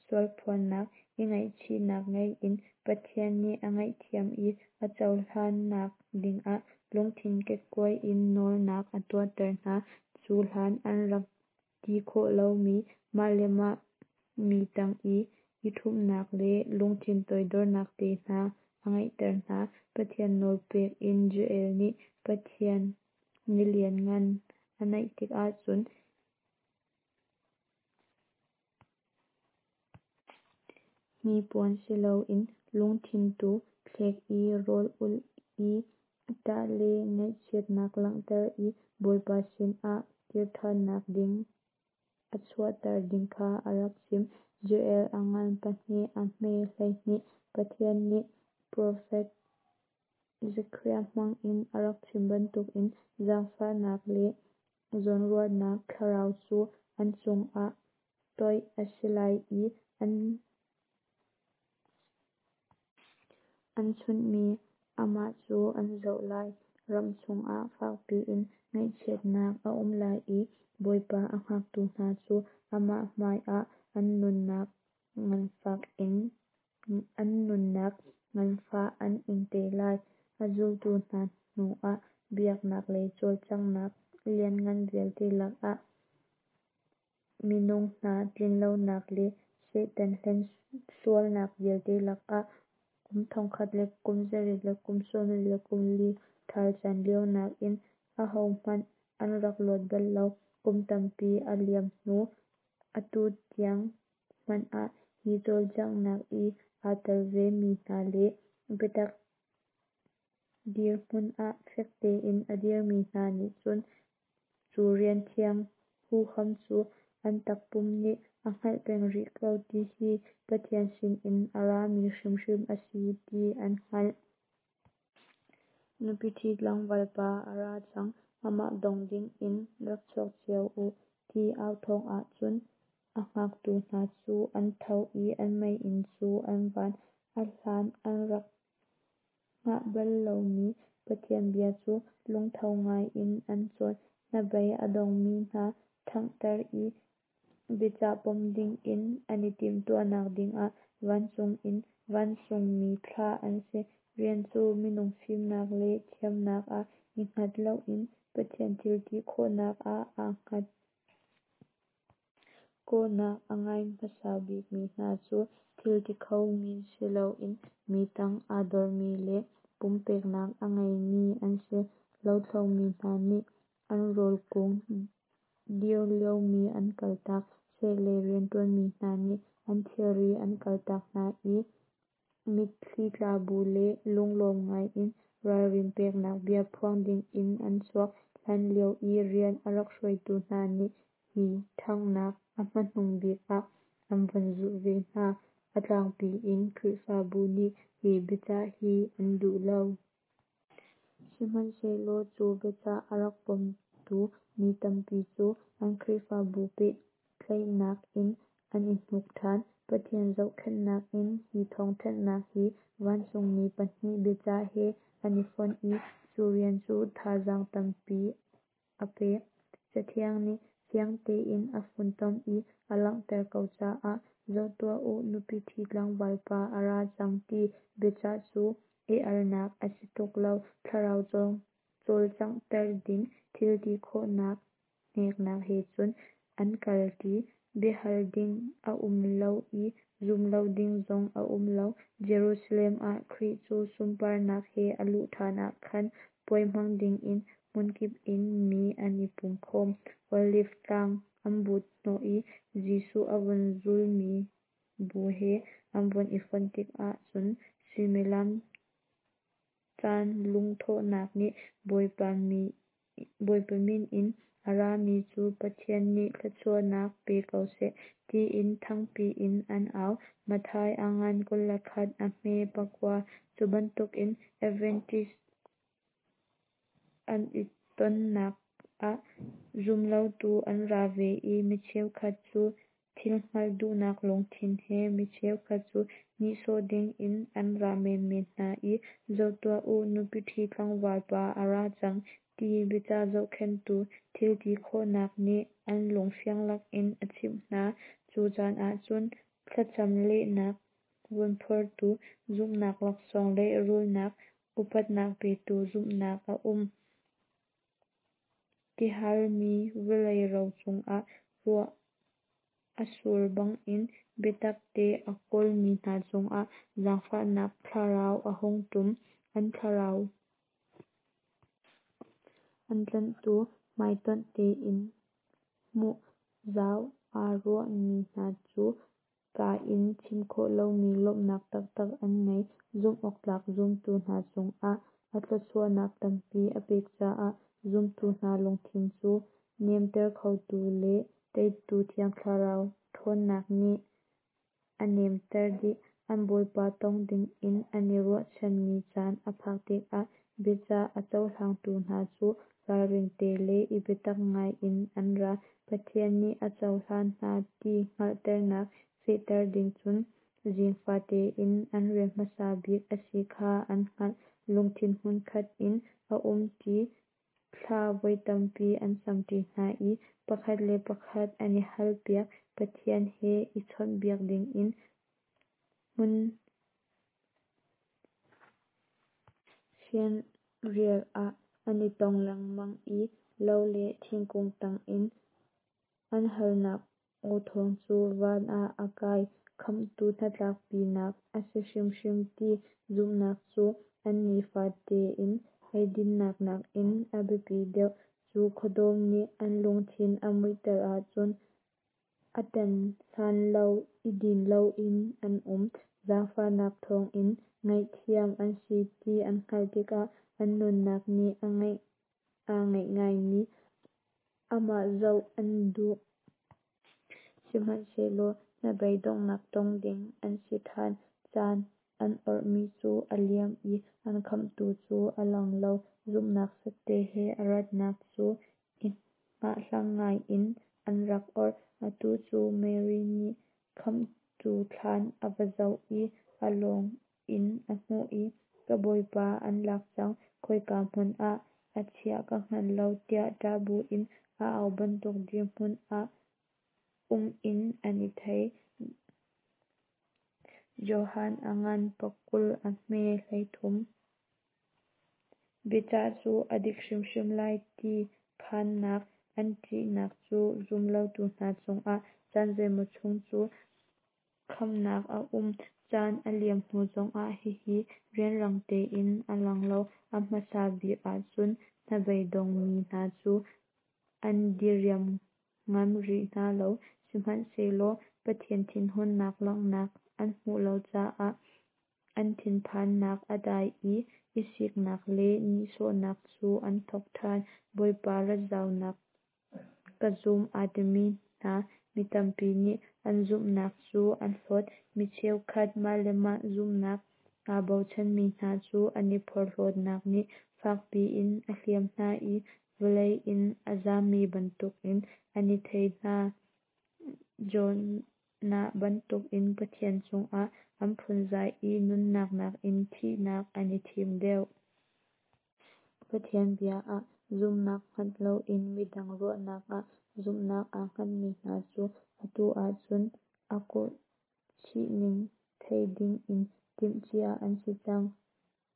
sualphuannak, i ngaihchihnak ngei in Pathian nih a ngaihthiam i a cohlannak dingah lungthin kekkuai in nawlnak a tuahter hna, cu hlan an rak ti khawh lomi mah le mah mi tang i i ṭhumhnak le lungthin toidornak te hna a ngeihter hna. Pathian nawlpek in Joel nih Pathian ni lianngan a naih tikah cun hnipuan si loin lungthin tu thlek i rawl ulh i ṭah le ngaihchiatnak langhter i Bawipa sinah kirṭhannak ding a chuahter ding kha a rak chim. Joel a ngan pahnih a hme 12. Pathian nih profet Zekhariah hmangin a rak chim bantukin zaangfahnak le zawnruahnak thlarau cu an cungah toih a si lai i an chunhmi amah cu an zoh lai. Ram chungah fak piin ngaihchiatnak a um lai i Bawipa a hngaktu hna cu amah hmaiah an nunnak nganfah an ing te lai. A zultu hna hnuah biaknak lei cawlcanghnak lianngan vialte lakah, minung hna tlinlonak le Satan hlensualnak vialte lakah, kum 1914 ṭhal caan lio nakin ahohmanh an rak luat bal lo. Kum tampi a liam hnu, atu tiang hmanh ah hi cawlcanghnak i aa tel ve mi hna le biatak dirhmun ah fek tein a dirmi hna nih cun cu rianthiang huham cu an takpum nih a hngalh peng rih ko ti hi Pathian sinin a rami hrimhrim a si ti an hngalh. Nupi ṭhi tlangval pa a ra cang, amah dong dingin rak chuak cio u, ti au thawng ah cun a hngaktu hna cu an tho i an meiinn cu an van. A hlan an rak hngah bal lomi Pathian bia cu lungtho ngai in an cawn. Hnabei a dongmi hna ṭhanghter i biacah pom dingin an i timhtuahnak dingah vancung in vancungmi thlah an si. Rian cu minung fimnak le thiamnak ah i hngat loin Pathian thil ti khawhnak ah aa hngat. Kawhnak a ngai hmasa bikmi hna cu thil ti kho mi si loin mi tang aa dormi le pumpeknak a ngeimi an si. Lothlo mi hna nih an rawl kung dir liomi an kaltak, seh lei rianṭuanmi hna nih an thilri an kaltak hna i mitthli tla bu le lunglawm ngai in ralrin peknak bia phuang dingin an chuak. Hlan lio i rian a rak hruaitu hna nih hi ṭhanghnak a hmanung bik ah an vun zulh ve hna. A tlangpi in Khrihfabu nih hi biacah hi an duh lo. Sihmanhsehlaw cu biacah a rak pomtu mi tampi cu an Khrihfabu pehtlaihnak in an i hnuk ṭhan. Pathian zohkhenhnak in hi thawngthanhnak hi vancungmi pahnih biacah he an i fonh i cu rian cu thazaang tampi a pek. Cathiang nih fiang tein a funtom i a langhter ko caah, Zoh tuah u, nupi ṭhi tlangval pa a ra cang, ti biacah cu i alnak a si tuk lo. Thlarau cawlcanghter ding thil ti khawhnak hneknak he cun an kal ṭi. Biahal ding a um lo i zumh lo ding zong a um lo. Jerusalem ah Khrih cu sunparnak he a luh ṭhan ah khan puai hmang dingin hmunkip in mi an i pum khawm. Oliv tlang an but hnawh i Jesuh a vun zulmi bu he an vun i fonh tikah chun suimilam caan lungthawhnak nih Bawipa min in A rami cu Pathian nih thluachuahnak pe ko seh, tiin thangpi in an au. Matthai a ngan 21 a hme 9. Cu bantukin Adventist an i tonnak ah zumlotu an ra ve i mi cheukhat cu thil hngalh duhnak lungthin he, mi cheukhat cu nihsawh dingin an ra menmen hna i, Zoh tuah u, nupi ṭhi tlangval pa a ra cang, ti biacah zohkhenhtu thilti khawhnak nih an lung fiang lakin a chimh hna. Cu caan ahcun thlacam lehnak vun phortu zumhnak laksawng lehrulnak upatnak petu zumhnak a um. Tihalmi vawlei ro cungah ruah a sur bangin biatakte a kawlmi hna cungah zaangfahnak thlarau a hung ṭum. An thlarau an tlanhtu hmaitonh tein hmuh zau aa ruahmi hna cu kaa in chim khawh lomi lawmhnak taktak an ngei. Zumhawktlak zumtu hna cungah a thluachuahnak tampi a pek caah zumtu hna lungthin cu nemter khotu le teitu Thiang Thlarau ṭhawnnak nih a nemter dih. An Bawipa tong dingin an i ruahchanmi caan a phak tikah biacah a cohlangtu hna cu ralring te le i biatak ngai in an ra. Pathian nih a cohlan hna ti hngalhternak fehter ding cun zing fate in an rian hmasa bik a si kha an hngalh. Lungthin hmunkhat in a um ṭi, thla voi tampi an cam ṭi hna i pakhat le pakhat an i halpiak. Pathian he i chawnhbiak dingin hmun fianrial ah an i tong lengmang i lo le thingkung tangin an halnak aw thawng cu van ah a kai. Khamhtu hnatlakpinak a si hrimhrim ti zumhnak cu an nifate in eidinnak nakin a biapi deuh. Cu khuadawm nih an lungthin a muihter ahcun a tan hlan lo i din loin an um. Zaangfahnak thawngin ngaihthiam an si ti an hngalh tikah an nunnak nih aa ngaih ngaimi Amah zoh an duh. Sihmanhsehlaw hnabei donghnak tong ding an si ṭhan. Caan an awrhmi cu a liam i an Khamhtu cu a lang lo. Zumhnak fekte he a ratnak cu i hngahhlang ngai in an rak awrh. Atu cu Mary nih Khamhtu thlan a va zoh i a lawng in a hmuh i, Ka Bawipa an lak cang, khoika hmun ah a chiah ka hngal lo, tiah ṭah buin a au bantuk dirhmun ah um in an i thei. Johan a ngan 20 a hme 33. Biacah cu a dik hrimhrim lai ti phannak, an ṭihnak cu zumlotu hna cungah caan zeimaw chung cu khamnak a um. Caan a liam hnu zongah hihi rianrang tein a lang lo. A hmasa bik ahcun hnabei dongmi hna cu an diriam ngam rih hna lo. Sihmanhsehlaw Pathian thinhunnak langhnak an hmuh lo caah an thinphannak a dai i, i siknak le nihsawhnak cu an thawk ṭhan. Bawipa rat zaunak ka zum aa timi hna mi tampi nih an zumhnak cu an hlawt. Mi cheukhat mah le mah zumhnak aa bochanmi hna cu an i phorhlawtnak nih fakpi in a hliam hna i vawlei in a zammi bantukin an i thei hna. Jonah bantukin Pathian cungah an phunzai i nunnak nakin thihnak an i thim deuh. Pathian bia ah zumhnak hngat loin midang ruahnak ah zumhnak aa hngatmi hna cu atu ahcun a kawhchihning thei dingin timhcia an si cang.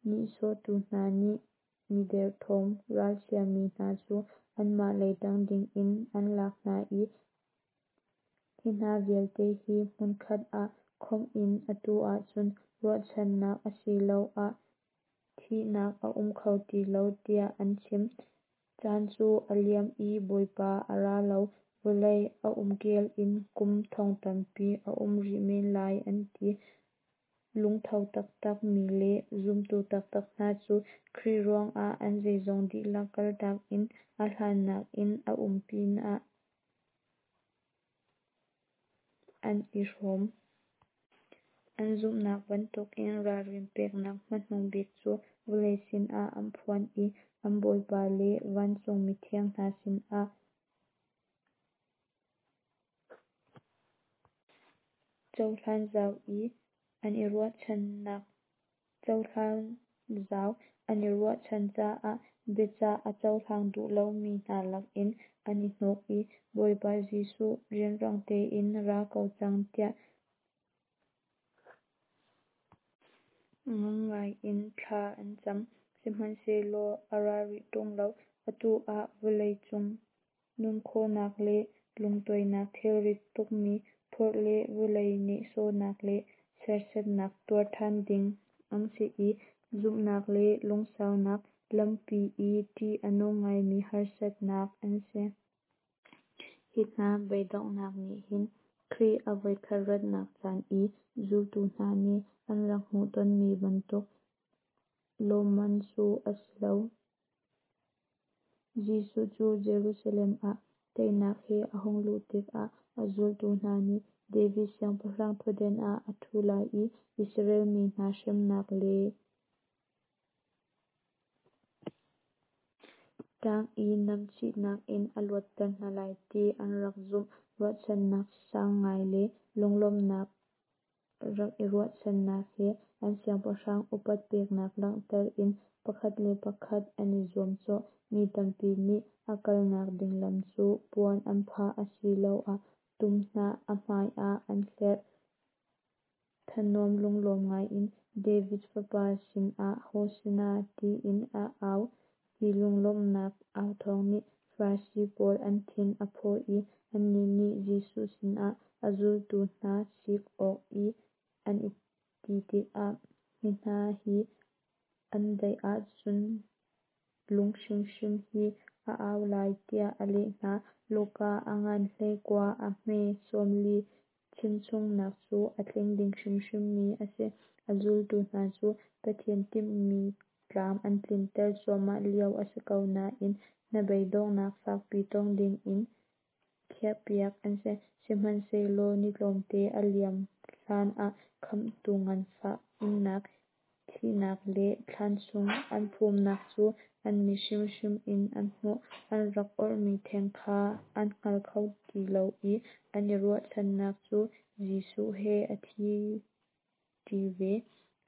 Nihsawhtu hna nih mi derthawm, ralchiami hna cu anmah lei ṭang dingin an lak hna i hi hna vialte hi hmunkhat ah khawmh in atu ahcun ruahchannak asiloah thihnak a um kho ti lo tiah an chim. Caan cu a liam i Bawipa a ra lo. Vawlei a umkel in kum thong tampi a um rih men lai an ti. Lungtho taktak mi le zumtu taktak hna cu Khrih ruangah an zeizong dihlak kaltak in a hlannak in a um pinah an i hrawm. An zumhnak bantukin ralrin peknak hmanung bik cu vawlei sinah an phuan i an Bawipa le vancung mithiang hna sinah cohlan zau an i ruahchan caah biacah a cohlang duh lomi hna lakin an i hnuk i Bawipa Jesuh, rianrang tein ra ko cang tiah ngang ngaiin thla an cam. Sihmanhsehlaw a ra rih ṭung lo. Atu ah vawlei cung nunkhawhnak le lungtuainak thilrit tukmi phurh le vawlei nehsawhnak le serhsatnak tuar ṭhan ding an si i zumhnak le lungsaunak lampi i ṭih a nung ngaimi harsatnak an si. Hi hna beidonghnak nih hin Khrih a voikhat ratnak caan i zultu hna nih an rak hmuh tonmi bantuk lawmman cu a si lo. Jesuh cu Jerusalem ah teinak he a hung luh tikah a zultu hna nih David siangpahrang ṭhutdan ah a ṭhu lai i Israel mi hna hremnak le ṭang i namchihnak in a luatter hna lai ti an rak zumh. Ruahchannak sang ngai le lunglawmhnak rak i ruahchannak he an siangpahrang upat peknak langhter in pakhat le pakhat an i zuamcawh. Mi tampi nih a kalnak ding lam cu puan an phah asiloah tum hnah a hmai ah an hlerh. Thanuam lunglawm ngaiin David Fapa sinah Hosanna tiin a au. Hi lunglawmhnak authawng nih Farasi pawl an thin a phawh i annih nih Jesuh sinah a zultu hna sik awk i an i ti tikah, Hi hna hi an daih ahcun lung hrimhrim hi a au lai, tiah a leh hna. Luka a ngan 19 a hme 40 chimchungnak cu a tling ding hrimhrimmi a si. A zultu hna cu Pathian timhmi tlam an tlinter cuahmah lio a si ko nain hnabeidonghnak fakpi tong dingin khiahpiak an si. Sihmanhsehlaw ni tlawmte a liam hlanah Khamhtu nganfah innak, thihnak le thlan chung an phumnak cu an mit hrimhrim in an hmuh. An rak orhmi theng kha an hngal kho ti lo i an i ruahchannak cu Jesuh he a thi ṭi ve.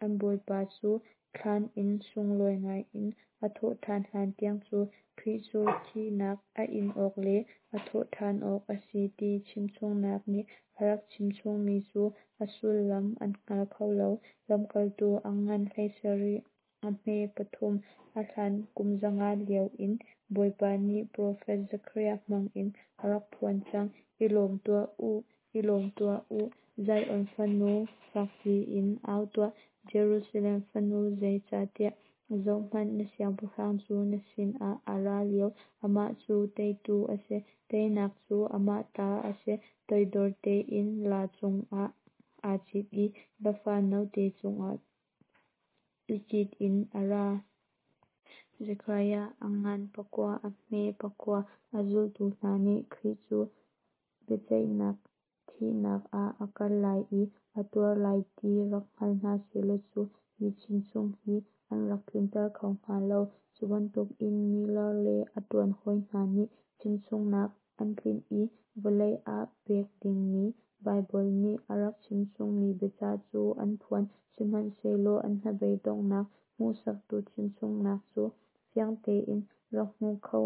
An Bawipa cu thlan in sunglawi ngaiin a thawhṭhan hlantiang cu Khrih cu thihnak a in awk le a thawhṭhan awk a si ti chimchungnak nih a rak chimchungmi cu a sullam an hngal kho lo. Lamkaltu a ngan 17 a hme 3 A hlan kum 500 lio in Bawipa nih profet Zekhariah hmangin a rak phuan cang. I lawm tuah u, i lawm tuah u, Zion fanu, fak piin au tuah, Jerusalem fanu, zeicahtiah zohhmanh, na siangpahrang cu na sinah a ra lio, amah cu teitu a si, teinak cu amah ta a si, toidor tein laa cungah aa cit i lafa note cungah i cit in a ra. Zekhariah a ngan 9 a hme 9 A zultu hna nih Khrih cu biaceihnak thihnak ah a kal lai i a tuar lai ti rak hngal hna sehlaw cu hi chimchung hi an rak tlinter kho hnga lo. Cu bantukin Miller le a ṭuan hawi hna nih chimchungnak an tlinh i vawlei ah pek dingmi Baibal nih a rak chimchungmi biacah cu an phuan, sihmanhsehlaw an hnabeidonghnak hmuhsaktu chimchungnak cu fiang tein rak hmu kho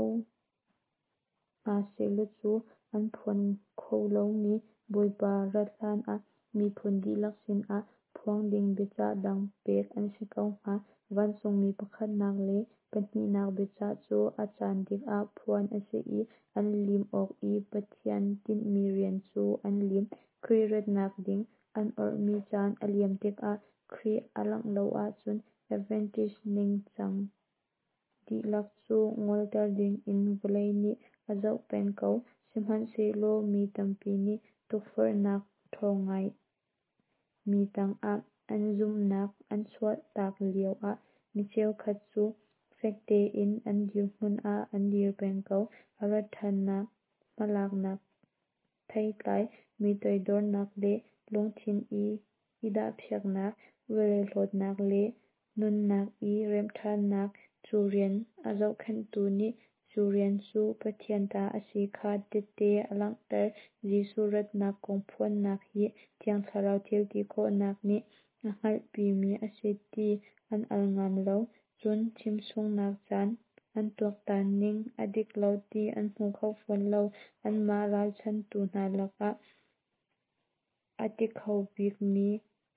hna sehlaw cu an phuan kho lomi Bawipa rat hlanah miphun dihlak sinah phuang ding biacah dang pek an si ko hnga. Vancungmi pakhatnak le pahnihnak biacah cu a caan dik ah phuan a si i an lim awk i Pathian tinhmi rian cu an lim. Khrih ratnak ding an orhmi caan a liam tikah Khrih a langh lo ahcun Adventist ningcang dihlak cu ngolter dingin vawlei nih a zoh peng ko. Sihmanhsehlaw mi tampi nih tukforhnak ṭhawng ngai mi tangah an zumhnak an chuahtak lioah mi cheukhat cu. Fek tein an dirhmun ah an dir peng ko. A rat ṭhannak hmalaknak theitlai, mi toidornak le lungthin i dahpiaknak, vawlei hlawtnak le nunnak i remhṭhannak, cu rian a zohkhenhtu nih cu rian cu Pathian ta a si kha tehte a langhter. Jesuh ratnak kong phuannak hi Thiang Thlarau thilti khawhnak nih a hngalhpimi a si ti an al ngam lo, cun chimchungnak caan an tuaktan ning a dik lo ti an hmu kho fawn lo. Anmah ralchanhtu hna lakah a ti kho bikmi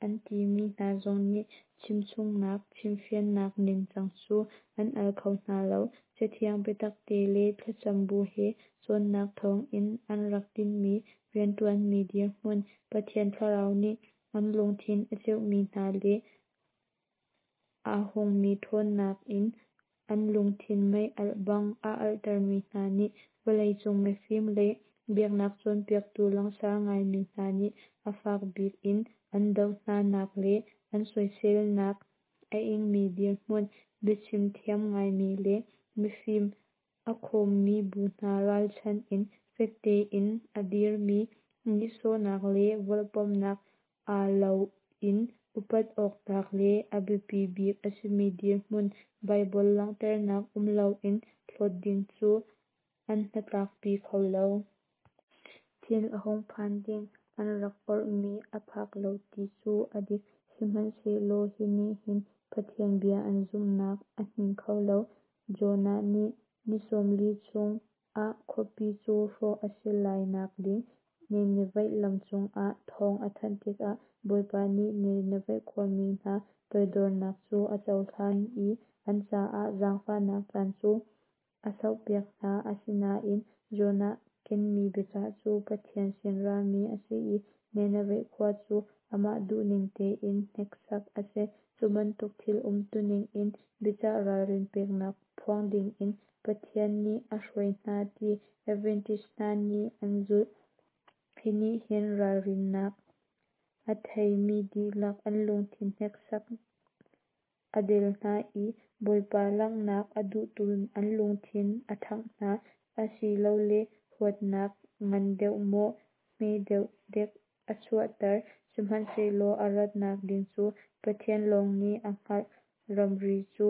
an timi hna zong nih chimchungnak chimfiannak ningcang cu an al kho hna lo. Cathiang biatakte le thlacam bu he cawnnak thawngin an rak tinhmi rianṭuanmi dirhmun, Pathian Thlarau nih an lungthin a cheuhmi hna le aa hungmi ṭhawnnak in an lungthin mei-alh bang a alhtermi hna nih vawleicung mifim le biaknak cawnpiaktu langsar ngaimi hna nih a fak bik in an doh hna nak le an soiselnak a ingmi dirhmun, biachim thiam ngaimi le mifim a khawmmi bu hna ralchanh in fek tein a dirmi, nihsawhnak le vawlpawmnak aa loin upat awktlak le a biapi bik a simi dirhmun Baibal langhternak um loin hlawt ding cu an hnatlakpi kho lo. Thil a hung phan ding an rak orhmi a phak lo ti cu a dik, sihmanhsehlaw hi nih hin Pathian bia an zumhnak a hnin kho lo. Jonah nih ni 40 chung ah khuapi cu hrawh a si lai nak ding Nineveh lam cungah thawng a thanh tikah Bawipa nih Nineveh khuami hna toidornak cu a cohlan i an caah zaangfahnak caan cu a sauhpiak hna. Asinain Jonah kenmi biacah cu Pathian sin rami a si i Nineveh khua cu amah duhning tein hneksak a si. Cu bantuk thil umtuning in biacah ralrin peknak phuang dingin Pathian nih a hruai hna ti Adventist hna nih an zumh. Hi nih hin ralrinnak a theimi dihlak an lungthin hneksak a del hna i Bawipa langhnak a duhtu an lungthin a ṭhangh hna, asilole huatnak ngan deuh maw hme deuh dek a chuahter. Sihmanhsehlaw a ratnak ding cu Pathian lawng nih a hngalh. Ramri cu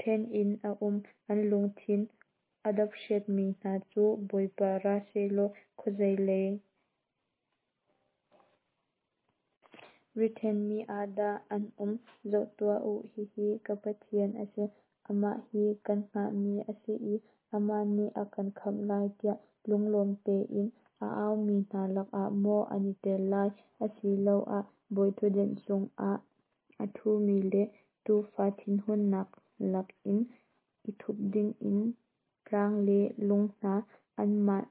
ṭhen in a um. An lungthin a dapseetmi hna cu Bawipa ra sehlaw khuazei lei riṭhenmi ah dah an um? Zoh tuah u, hihi ka Pathian a si, amah hi kan hngahmi a si i amah nih a kan khamh lai tiah lunglawm tein a aumi hna lakah maw an i tel lai, asiloah bawiṭhutdan cungah a ṭhumi le Tuufa thinhunnak lakin i thup dingin tlang le lung hna anmah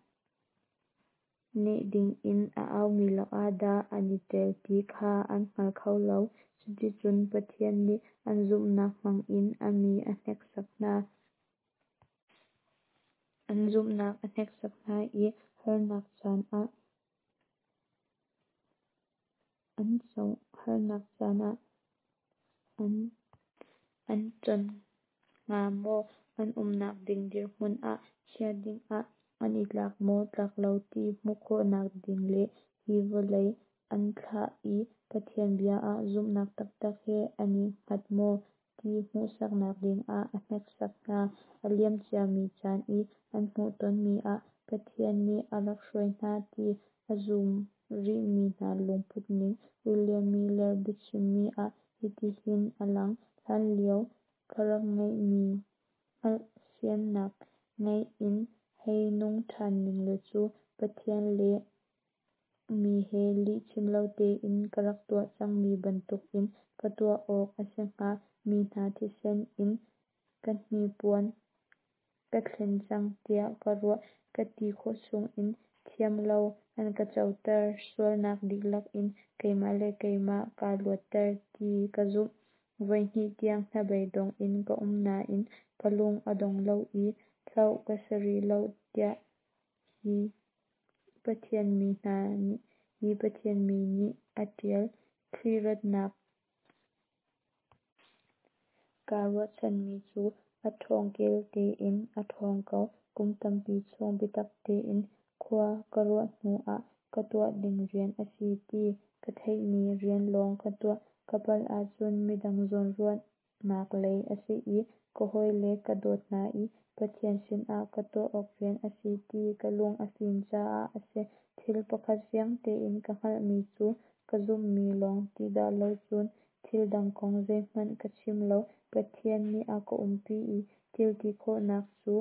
neh dingin a aumi lakah dah an i tel ti kha an hngal kho lo. Cuticun Pathian nih an zumhnak hmangin a mi a hneksak hna. An zumhnak a hneksak hna i harnak caan ah an con hnga maw? An umnak ding dirhmun ah chia dingah an i tlak maw tlak lo ti hmuh khawhnak ding le hi vawlei an thlah i Pathian bia ah zumhnak taktak he an i hngat maw ti hmuhsaknak dingah a hneksak hna. A liam ciami caan i an hmuhtonmi ah Pathian nih a rak hruai hna ti a zum rihmi hna lungputning William Miller biachimmi ah hitihin a lang: Hlanlio ka rak ngeihmi hngalhfiannak ngei in hei nung ṭhan ninglaw cu Pathian le mi he lih chim lo tein ka rak tuah cangmi bantukin ka tuah awk a si hnga. Mi hna thisen in ka hnipuan ka thlen cang tiah ka ruah. Ka ti khawh chungin thiamlo an ka coter. Sualnak dihlak in keimah le keimah kaa luatter ti ka zumh. Voihnih tiang hnabeidong in ka um nain ka lung a dong lo i hloh ka si rih lo tiah hi Pathian mi nih a ṭial. Khrih ratnak kaa ruahchanmi cu A ṭhawng kel tein a ṭhawng ko. Kum tampi chung biatak tein khua ka ruah hnu ah ka tuah ding rian a si ti ka theihmi rian lawng ka tuah. Ka palh ahcun midang zawnruahnak lei a si i ka hawile ka dawt hna i Pathian sinah ka tuah awk rian a si ti ka lung a fim caah a si. Thil pakhat fiang tein ka hngalhmi cu ka zumhmi lawng ti dah lo cun thil dang kong zeihmanh ka chim lo. Pathian nih a ka umpi i thil ti khawhnak cu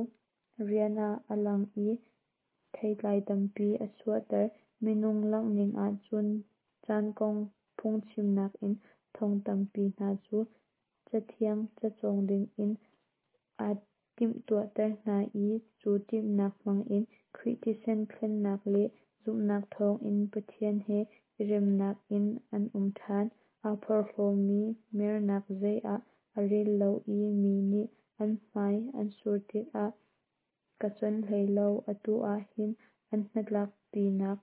rian ah a lang i theitlai tampi a chuahter. Minung langhning ahcun caan kong phungchimnak in thong tampi hna cu Cathiang cacawng dingin aa timhtuahter hna i cu timhnak hmangin Khrih thisen thlennak le zumhnak thawngin Pathian he i remnak in an um ṭhan. Aa porhlawmi mernak zei ah a rel lo i mi nih an hmai an sur tikah ka cuan hlei lo. Atu ah hin an hnatlakpinak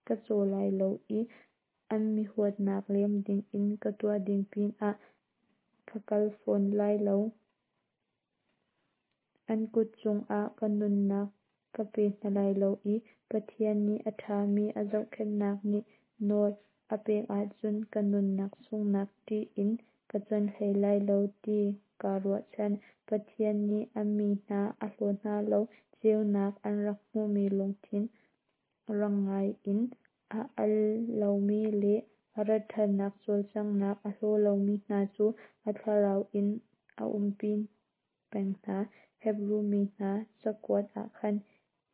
ka caw lai lo i an mi huatnak lem dingin ka tuah ding pinah ka kal fawn lai lo. An kut cungah ka nunnak ka pe hna lai lo i Pathian nih a ṭhami a zohkhenhnak nih nawl a pek ahcun ka nunnak sunghnak ṭih in ka cuan hlei lai lo ti kaa ruahchan. Pathian nih a mi hna a hlaw hna lo. Ceunak an rak hmuhmi lungthin rang ngai in a al lomi le a rat ṭhannak cawlcanghnak a hlaw lomi hna cu a thlarau in a umpi peng hna. Hebru mi hna cakuat ah khan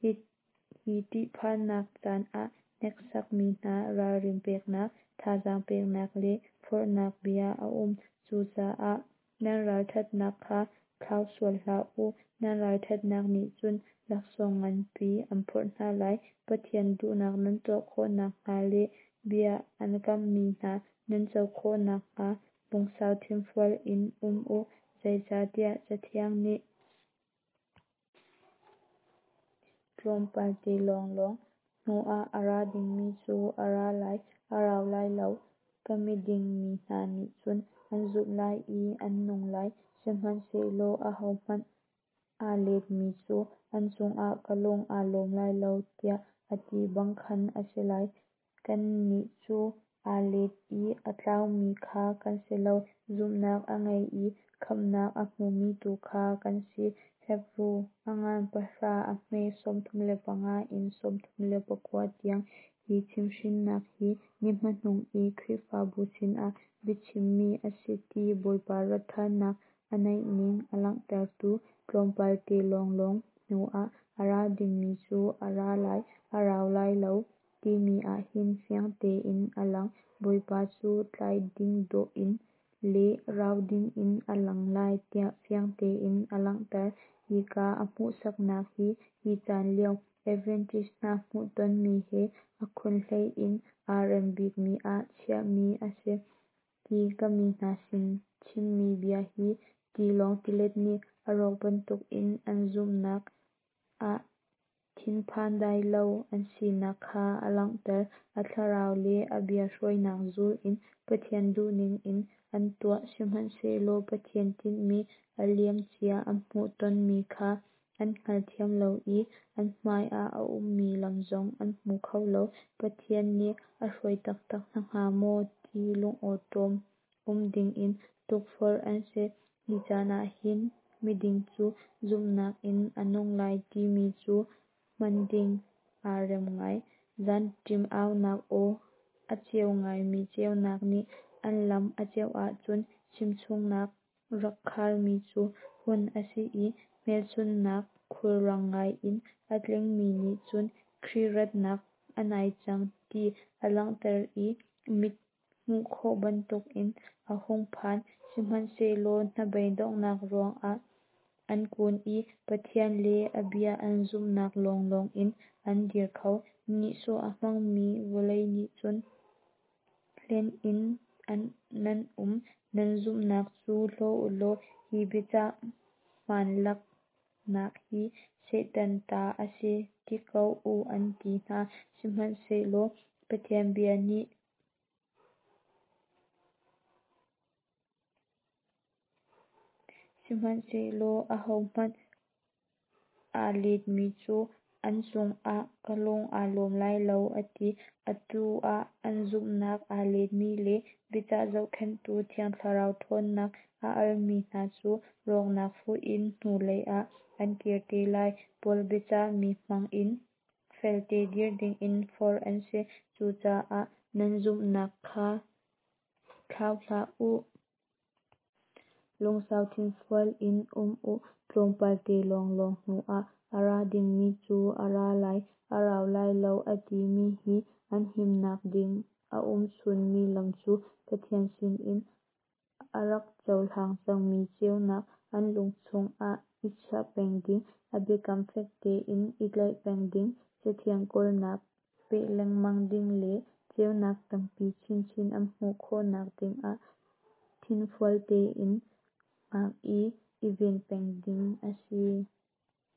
hi ṭihphannak caan ah hneksakmi hna ralrin peknak, thazaang peknak le forhnak bia a um. Cucaah nan ralṭhatnak kha thlau sual hlah u, nan ralṭhatnak nih cun laksawng nganpi an phorh hna lai. Pathian duhnak nan tuah khawh nakhnga le bia an kamhmi hna nan co khawh nakhnga lungsau thinfual in um u. Zeicahtiah Cathiang nih, Tlawmpal te lawnglawng hnuah a ra dingmi cu a ra lai, a rau lai lo. Ka miding mi hna nih cun an zumh lai i an nung lai, Sihmanhsehlaw ahohmanh aa letmi cu an cungah ka lung aa lawm lai lo, tiah a ti bang khan a si lai. Kannih cu aa let i a tlaumi kha kan si lo, zumhnak a ngei i khamhnak a hmumi tu kha kan si. Hebru a ngan pahra a hme 35 in 39 tiang. Hi chimhhrinnak hi ni hmanung i Khrihfabu sinah biachimmi a si ti Bawipa rat ṭhannak a naihning a langhtertu. Tlawmpal te lawnglawng hnuah a ra dingmi cu a ra lai, a rau lai lo timi ah hin fiang tein a lang. Bawipa cu tlai ding dawh in le rau dingin a lang lai tiah fiang tein a langhter. Hika a hmuhsaknak hi hi caan lio Adventist hna hmuhtonmi he a khunhlei in aa rem bikmi ah chiahmi a si. Hi ka mi hna sin chimmi bia hi tilawng tilet nih a rawk bantukin an zumhnak ah thinphan dai lo an sinak kha a langhter. A thlarau le a bia hruainak zul in Pathian duhning in an tuah. Sihmanhsehlaw Pathian tinhmi a liamcia an hmuhtonmi kha an hngalthiam lo i an hmaiah a ummi lam zong an hmu kho lo. Pathian nih a hruai taktak hna hnga maw ti lungawṭawm um dingin tukforh an si. Hi caan ah hin miding cu zumhnak in a nung lai timi cu hman ding aa rem ngai. Zanṭim aunak aw a ceu ngaimi ceunak nih an lam a ceuh ahcun chimchungnak rak kharmi cu hun a si i hmelchunhnak khulrang ngai in a tlingmi nih cun Khrih ratnak a nai cang ti a langhter i mit hmuh khawh bantukin a hung phan. Sihmanhsehlaw hnabei donghnak ruangah an kun i Pathian le a bia an zumhnak lawnglawng in an dir kho. Nihsawh a hmangmi vawlei nih cun hlen in nan um. Nan zumhnak cu hlaw u law hi biachah hmaanlaknak hi Satan ta a si ti ko u an ti hna. Sihmanhsehlaw Pathian bia nih Sihmanhsehlaw ahohmanh aa letmi cu an cungah ka lung aa lawm lai lo, a ti. Atu ah an zumhnak aa letmi le biacah zohkhenhtu Thiang Thlarau ṭhawnnak a almi hna cu rawknak fuh in hnulei ah an kir te lai. Paul biacahmi hmangin felte dir dingin forh an si. Cucaah nan zumhnak kha thlau hlah u. Lungsau thinfual in um u. Tlawmpal te lawnglawng hnuah a ra dingmi cu a ra lai, a rau lai lo a timi hi an himnak ding a um chunmi lam cu Pathian sinin a rak cohlang cangmi ceunak an lung chungah i chiah peng ding, a biakam fek tein i tlaih peng ding, Cathiang kawlnak peh lengmang ding le ceunak tampi chinchin an hmuh khawhnak dingah thinfual tein hngak i i ven peng ding a si.